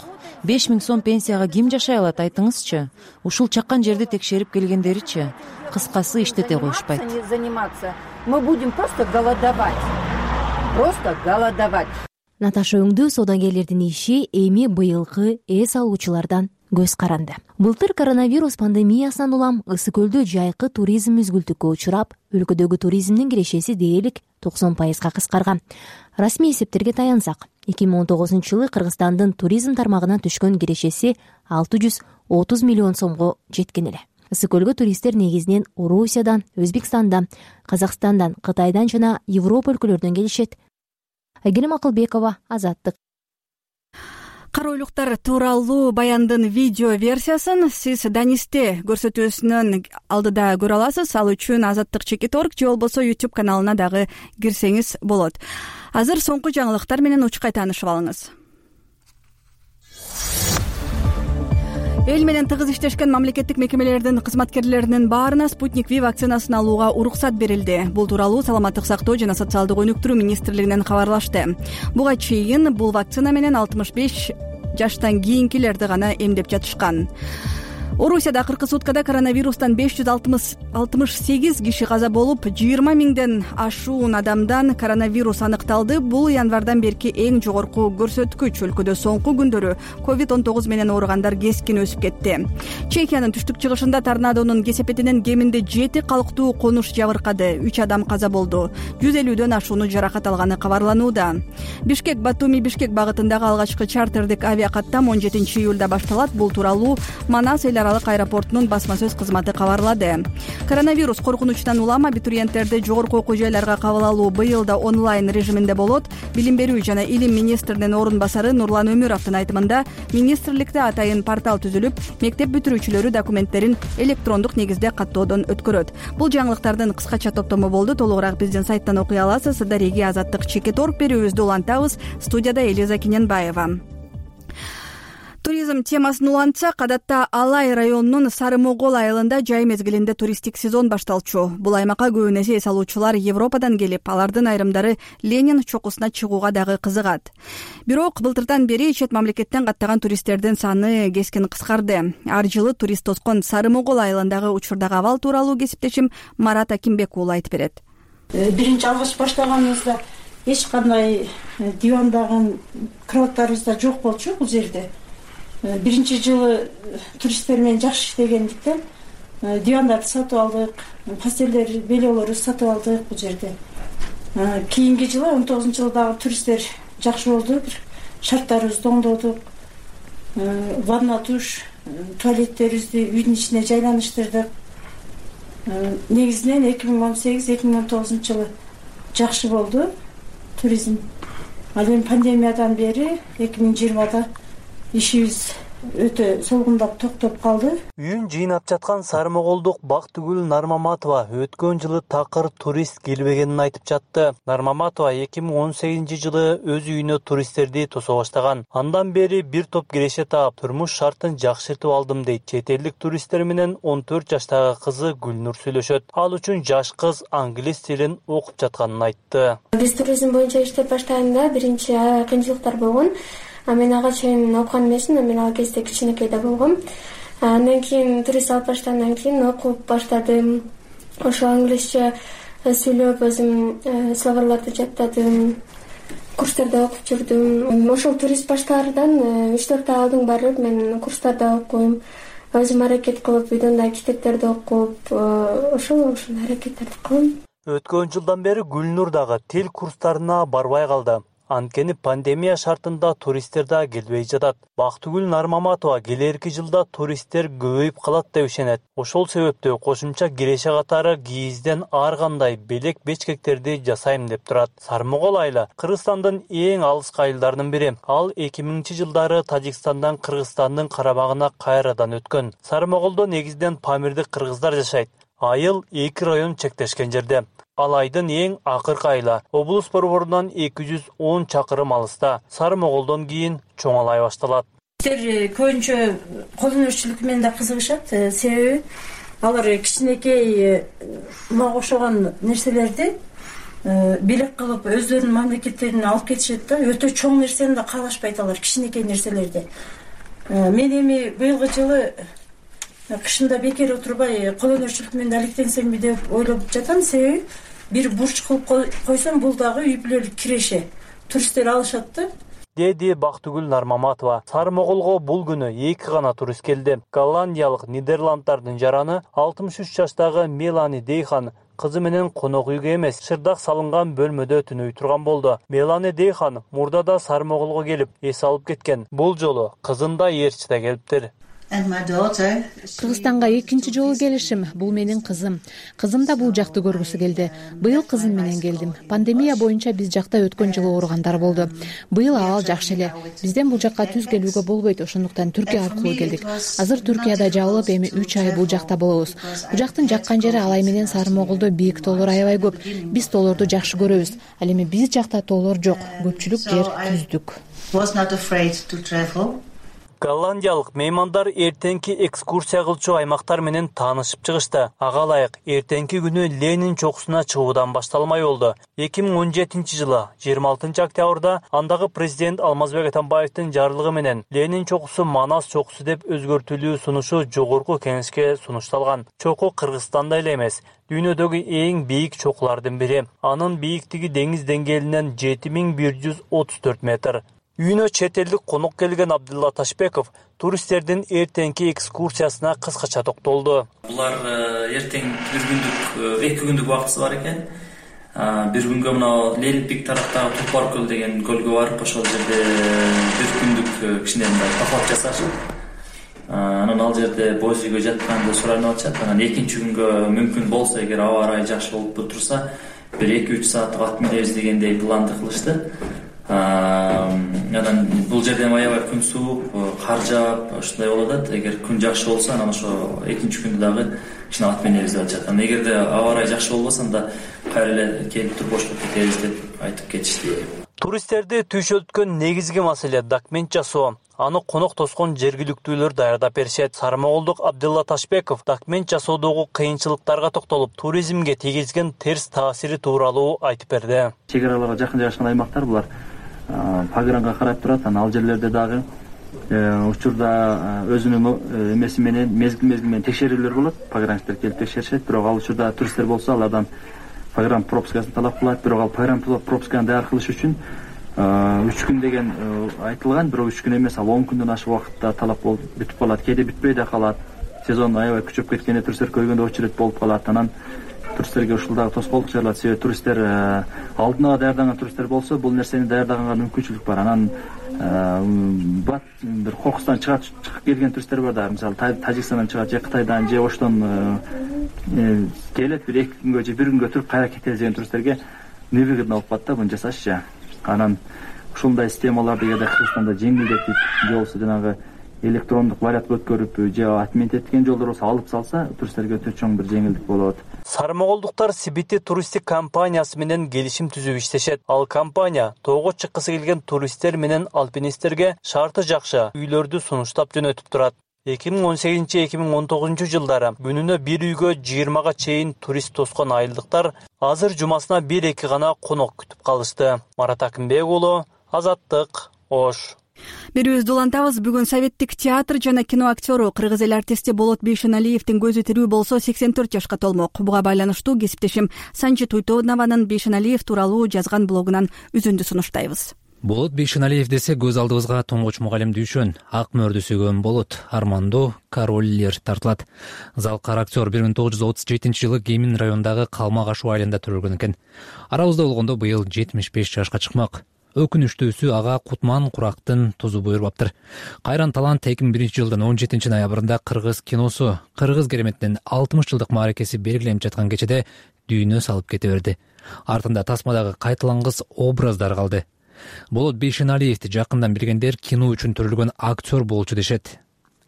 5000 сом пенсияга ким жашай алат, айтыңызчы? Ушул чаккан жерди текшерип келгендеричи? Кыскасы иштете коюшпайт. Мы будем просто голодовать. Просто голодовать. Наташа Өңдүү соодагерлердин иши эми быйылкы эс алуучулардан көз каранды. Былтыр коронавирус пандемиясынан улам Ысык көлдө жайкы туризм мүзгүлтүккө учурап, өлкөдөгү туризмдин кирешеси дээрлик 90%га кыскарган. Расмий эсептерге таянсак, 2019-жылы Кыргызстандын туризм тармагынан түшкөн кирешеси 630 миллион сомго жеткен эле. Ысык көлгө туристтер негизинен Орусиядан, Өзбекстандан, Казакстандан, Кытайдан жана Европа өлкөлөрүнөн келишет. Айгерим Акылбекова, Азаттык. Каройлуктар тууралуу баяндын видео версиясын сиз Данисте көрсөтүүсүнүн алдыда көрө аласыз. Ал үчүн Азаттык.org же болбосо YouTube каналына дагы кирсеңиз болот. Азыр соңку жаңылыктар менен учкай таанышып алыңыз. Эл менен тыгыз иштешкен мамлекеттик мекемелердин кызматкерлеринин баарына Спутник V вакцинасын алууга уруксат берилди. Бул тууралуу Саламаттык сактоо жана социалдык өнүктүрүү министрлигинен кабарлашты. Буга чейин бул вакцина менен 65 жаштан кийинкилерди гана эмдеп жатышкан. Орусияда акыркы суткада коронавирустан 568 киши каза болуп, 20 миңден ашуун адамдан коронавирус аныкталды. Бул январдан берки эң жогорку көрсөткүч. Өлкөдө соңку күндөрү COVID-19 менен ооругандар кескин өсүп кетти. Чехиянын түштүк чыгышында торнадонун кесепетинен кеминде 7 калктуу конуш жабыркады. 3 адам каза болду. 150дөн ашууну жаракат алганы кабарланууда. Бишкек-Батуми-Бишкек багытындагы алгачкы чартердик авиакаттам 17 июлда башталат. Бул тууралуу Манас аралык аэропортунун басма сөз кызматы кабарлады. Коронавирус коркунучунан улам абитуриенттерди жогорку окуу жайларга кабыл алуу быйыл да онлайн режиминде болот. Билим берүү жана илим министринин орун басары Нурлан Өмүровдун айтымында, министрликте атайын портал түзүлүп, мектеп бүтүрүүчүлөрү документтерин электрондук негизде каттоодон өткөрөт. Бул жаңылыктардын кыскача топтому болду. Толугураак биздин сайттан окуй аласыз. Дареги Азаттык.org берүүбүздү улантабыз. Студияда Элиза Кененбаева. Туризм темасын улантсак, адатта Алай районунун Сары Могол айылында жай мезгилинде туристтик сезон башталчу. Бул аймакка көбүн эсе эс алуучулар Европадан келип, алардын айрымдары Ленин чокусуна чыгууга дагы кызыгат. Бирок былтырдан бери чет мамлекеттен каттаган туристтердин саны кескин кыскарды. Ар жылы турист тоскон Сары Могол айылындагы учурдагы абал тууралуу кесиптешим Марат Акимбек уулу айтып берет. Биринчи алгач баштаганыбызда эч кандай дивандагы кроваттарыбыз да жок болчу бул жерде. Биринчи жылы туристтер менен жакшы иштегендиктен дивандарды сатып алдык, постелдер, белеолорду сатып алдык бул жерде. Кийинки жылы 19-жылдагы туристтер жакшы болду. Шарттарыбызды оңдодук. Ванна, душ, туалеттерибизди үйдүн ичине жайланыштырдык. Негизинен 2018-2019 жылы жакшы болду туризм. Ал эми пандемиядан бери 2020да ишибиз өтө солгундап токтоп калды. Үйүн жыйнап жаткан Сары Моголдук Бактыгүл Нармаматова өткөн жылы такыр турист келбегенин айтып жатты. Нармаматова 2018 жылы өз үйүнө туристтерди тосо баштаган. Андан бери бир топ киреше таап, турмуш шартын жакшыртып алдым дейт. Чет элдик туристтер менен 14 жаштагы кызы Гүлнур сүйлөшөт. Ал үчүн жаш кыз англис тилин окуп жатканын айтты. Биз туризм боюнча иштеп баштаганда биринчи кыйынчылыктар болгон. Мен ага чейин окуган эмесмин, мен ал кезде кичинекей да болгом. Андан кийин турист алып баштагандан кийин окуп баштадым. Ошо англисче сүйлөп, өзүм словарларды жаттадым. Курстарда окуп жүрдүм. Ошол турист баштаардан 3-4 айдын барып мен курстарда окуйм. Өзүм аракет кылып, үйдөн да китептерди окуп, ошол аракеттерди кылам. Өткөн жылдан бери Гүлнур дагы тил курстарына барбай калды. Анткени пандемия шартында туристтер да келбей жатат. Бактыгүл Нармаматова келерки жылда туристтер көбөйүп калат деп ишенет. Ошол себептүү кошумча киреше катары кийизден ар кандай белек бечкектерди жасайм деп турат. Сары Могол айылы Кыргызстандын эң алыскы айылдарынын бири. Ал 2000-жылдары Тажикстандан Кыргызстандын карамагына кайрадан өткөн. Сары Моголдо негизинен памирдик кыргыздар жашайт. Айыл 2 район чектешкен жерде. Ал айдын эң акыркы айла. Облус борборунан 210 чакырым алыста. Сары Моголдон кийин Чоң Алай башталат. туристтер көбүнчө кол өнөрчүлүк менен да кызыгышат, себеби алар кичинекей мага окшогон нерселерди белек кылып өздөрүнүн мамлекеттерине алып кетишет да. Өтө чоң нерсени да каалашпайт алар, кичинекей нерселерди. Мен эми быйылкы жылы кышында бекер отурбай кол өнөрчүлүк менен алектенсемби деп ойлоп жатам, себеби бир бурч кылып койсом бул дагы үй бүлөлүк киреше. Туристтер алышат да. Деди Бактыгүл Нармаматова. Сары Моголго бул күнү 2 гана турист келди. Голландиялык Нидерланддардын жараны 63 жаштагы Мелани Дейхан кызы менен конок үйгө эмес, шырдак салынган бөлмөдө түнөй турган болду. Мелани Дейхан мурда да Сары Моголго келип эс алып кеткен. Бул жолу кызын да ээрчи да келиптир. Кыргызстанга экинчи жолу келишим. Бул менин кызым. Кызым да бул жакты көргүсү келди. Быйыл кызым менен келдим. Пандемия боюнча биз жакта өткөн жылы ооругандар болду. Быйыл абал жакшы эле. Бизден бул жакка түз келүүгө болбойт, ошондуктан Түркия аркылуу келдик. Азыр Түркияда жабылып, эми 3 ай бул жакта болобуз. Бул жактын жаккан жери Алай менен Сары Моголдо бийик тоолор аябай көп. Биз тоолорду жакшы көрөбүз. Ал эми биз жакта тоолор жок. Көпчүлүк жер түздүк. Голландиялык меймандар эртеңки экскурсия кылчу аймактар менен таанышып чыгышты. Ага ылайык эртеңки күнү Ленин чокусуна чыгуудан башталмай болду. 2017 жылы 26 октябрда андагы президент Алмазбек Атамбаевдин жарлыгы менен Ленин чокусу Манас чокусу деп өзгөртүлүү сунушу жогорку кеңешке сунушталган. Чоку Кыргызстанда эле эмес, дүйнөдөгү эң бийик чокулардын бири. Анын бийиктиги деңиз деңгээлинен 7134 метр. Үйүнө чет элдик конок келген Абдулла Ташбеков туристтердин эртеңки экскурсиясына кыскача токтолду. Булар эртең эки күндүк убактысы бар экен. Бир күнгө мына Ленинпик тараптагы Тупар көл деген көлгө барып, ошол жерде бир күндүк кичине поход жасашып, анан ал жерде боз үйгө жатканды суранып атышат. Анан экинчи күнгө мүмкүн болсо, эгер аба ырайы жакшы болуп турса, бир 2-3 сааттык ат минебиз дегендей планды кылышты. Анан бул жерден аябай күн суук, кар жаап, ушундай болуп атат. Эгер күн жакшы болсо, анан ошо экинчи күндө дагы кичине ат минебиз деп атышат. Анан эгерде аба ырайы жакшы болбосо, анда кайра эле келип туруп бошко кетебиз деп айтып кетишти. Туристтерди түйшөлткөн негизги маселе документ жасоо. Аны конок тоскон жергиликтүүлөр даярдап беришет. Сары Моголдук Абдулла Ташбеков документ жасоодогу кыйынчылыктарга токтолуп, туризмге тийгизген терс таасири тууралуу айтып берди. Чек араларга жакын жайгашкан аймактар булар погранга карап турат. Анан ал жерлерде дагы учурда өзүнүн эмеси менен мезгил менен текшерүүлөр болот. Погранчтар келип текшеришет, бирок ал учурда туристтер болсо алардан погран пропускасын талап кылат. Бирок ал погран пропусканы даяр кылыш үчүн 3 күн деген айтылган, бирок 3 күн эмес, ал 10 күндөн ашык убакытта талап болуп бүтүп калат. Кээде бүтпөй да калат. Сезон аябай күчөп кеткенде туристтер көйгөндө очередь болуп калат. Анан туристтерге ушул дагы тоскоолдук жаралат. Себеби туристтер алдына даярданган туристтер болсо, бул нерсени даярдаганга мүмкүнчүлүк бар. Анан бир Кокустан чыгып келген туристтер бар да, мисалы Тажикстандан чыгат, же Кытайдан, же Оштон келет, бир 2 күнгө же 1 күнгө туруп кайра кетебиз деген туристтерге невыгодно болуп калат да буну жасашчы. Анан ушундай системаларды эгерде Кыргызстанда жеңилдетип, же болбосо жанагы электрондук вариантка өткөрүп, же отмен эткен жолдор болсо алып салса, туристтерге өтө чоң бир жеңилдик болот. Сары Моголдуктар Сибити туристтик компаниясы менен келишим түзүп иштешет. Ал компания тоого чыккысы келген туристтер менен алпинисттерге шарты жакшы үйлөрдү сунуштап жөнөтүп турат. 2018-2019 жылдары күнүнө бир үйгө 20га чейин турист тоскон айылдыктар азыр жумасына 1-2 гана конок күтүп калышты. Марат Акымбек уулу, Азаттык, Ош. Берүүбүздү улантабыз. Бүгүн Советтик театр жана кино актеру, кыргыз эл артисти Болот Бейшеналиевдин көзү тирүү болсо 84 жашка толмок. Буга байланыштуу кесиптешим Санжи Туйтонованын Бейшеналиев тууралуу жазган блогунан үзүндү сунуштайбыз. Болот Бейшеналиев десе көз алдыбызга тоңгоч мугалим Дүйшөн, ак мөрдү сүйгөн Болот, Армандо Короллер тартылат. Залкар актер 1937 жылы Кемин районундагы Калмак Ашу айылында төрөлгөн экен. Арабызда болгондо быйыл 75 жашка чыкмак. Өкүнүчтүүсү ага Кутман Курактын тузу буйрубаптыр. Кайран талант 2001 жылдын 17 ноябрында кыргыз киносу, кыргыз кереметтин 60 жылдык мааракеси белгиленип жаткан кечеде дүйнө салып кете берди. Артында тасмадагы кайталангыс образдар калды. Болот Бейшеналиевди жакындан билгендер кино үчүн төрөлгөн актер болчу дешет.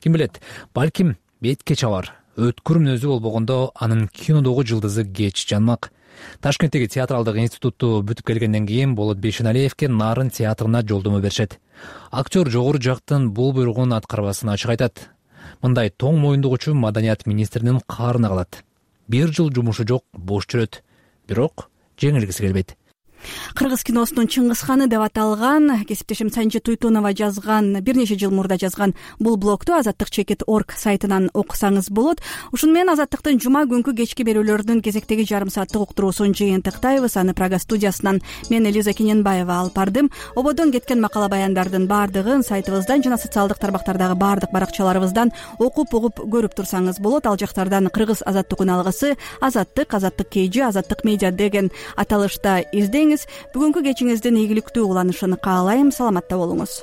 Ким билет, балким бетке чабар, өткүр мүнөзү болбогондо анын кинодогу жылдызы кеч жанмак. Ташкенттеги театралдык институтту бүтүп келгенден кийин Болот Бейшеналиевке Нарын театрына жолдомо беришет. Актер жогору жактын бул буйругун аткарбасын ачык айтат. Мындай тоң моюндугучу маданият министринин каарына калат. 1 жыл жумушу жок, бош жүрөт. Бирок жеңилгиси келбейт. Кыргыз киносунун Чыңгыз ханы деп аталган кесиптешим Санжи Туйтунова жазган, бир нече жыл мурда жазган бул блогду azattik.org сайтынан окусаңыз болот. Ушуну менен Азаттыктын жума күнкү кечки берүүлөрүнүн кезектеги жарым сааттык уктуруусун жыйынтыктайбыз. Аны Прага студиясынан мен Элиза Кененбаева алып бардым. Ободон кеткен макала баяндардын баардыгын сайтыбыздан жана социалдык тармактардагы баардык баракчаларыбыздан окуп угуп көрүп турсаңыз болот. Ал жактардан кыргыз азаттык алгысы, Азаттык, Азаттык KG, Азаттык медиа деген аталышта издеңиз. Бүгүнкү кечиңиздин ийгиликтүү уланышын каалайм. Саламатта болуңуз.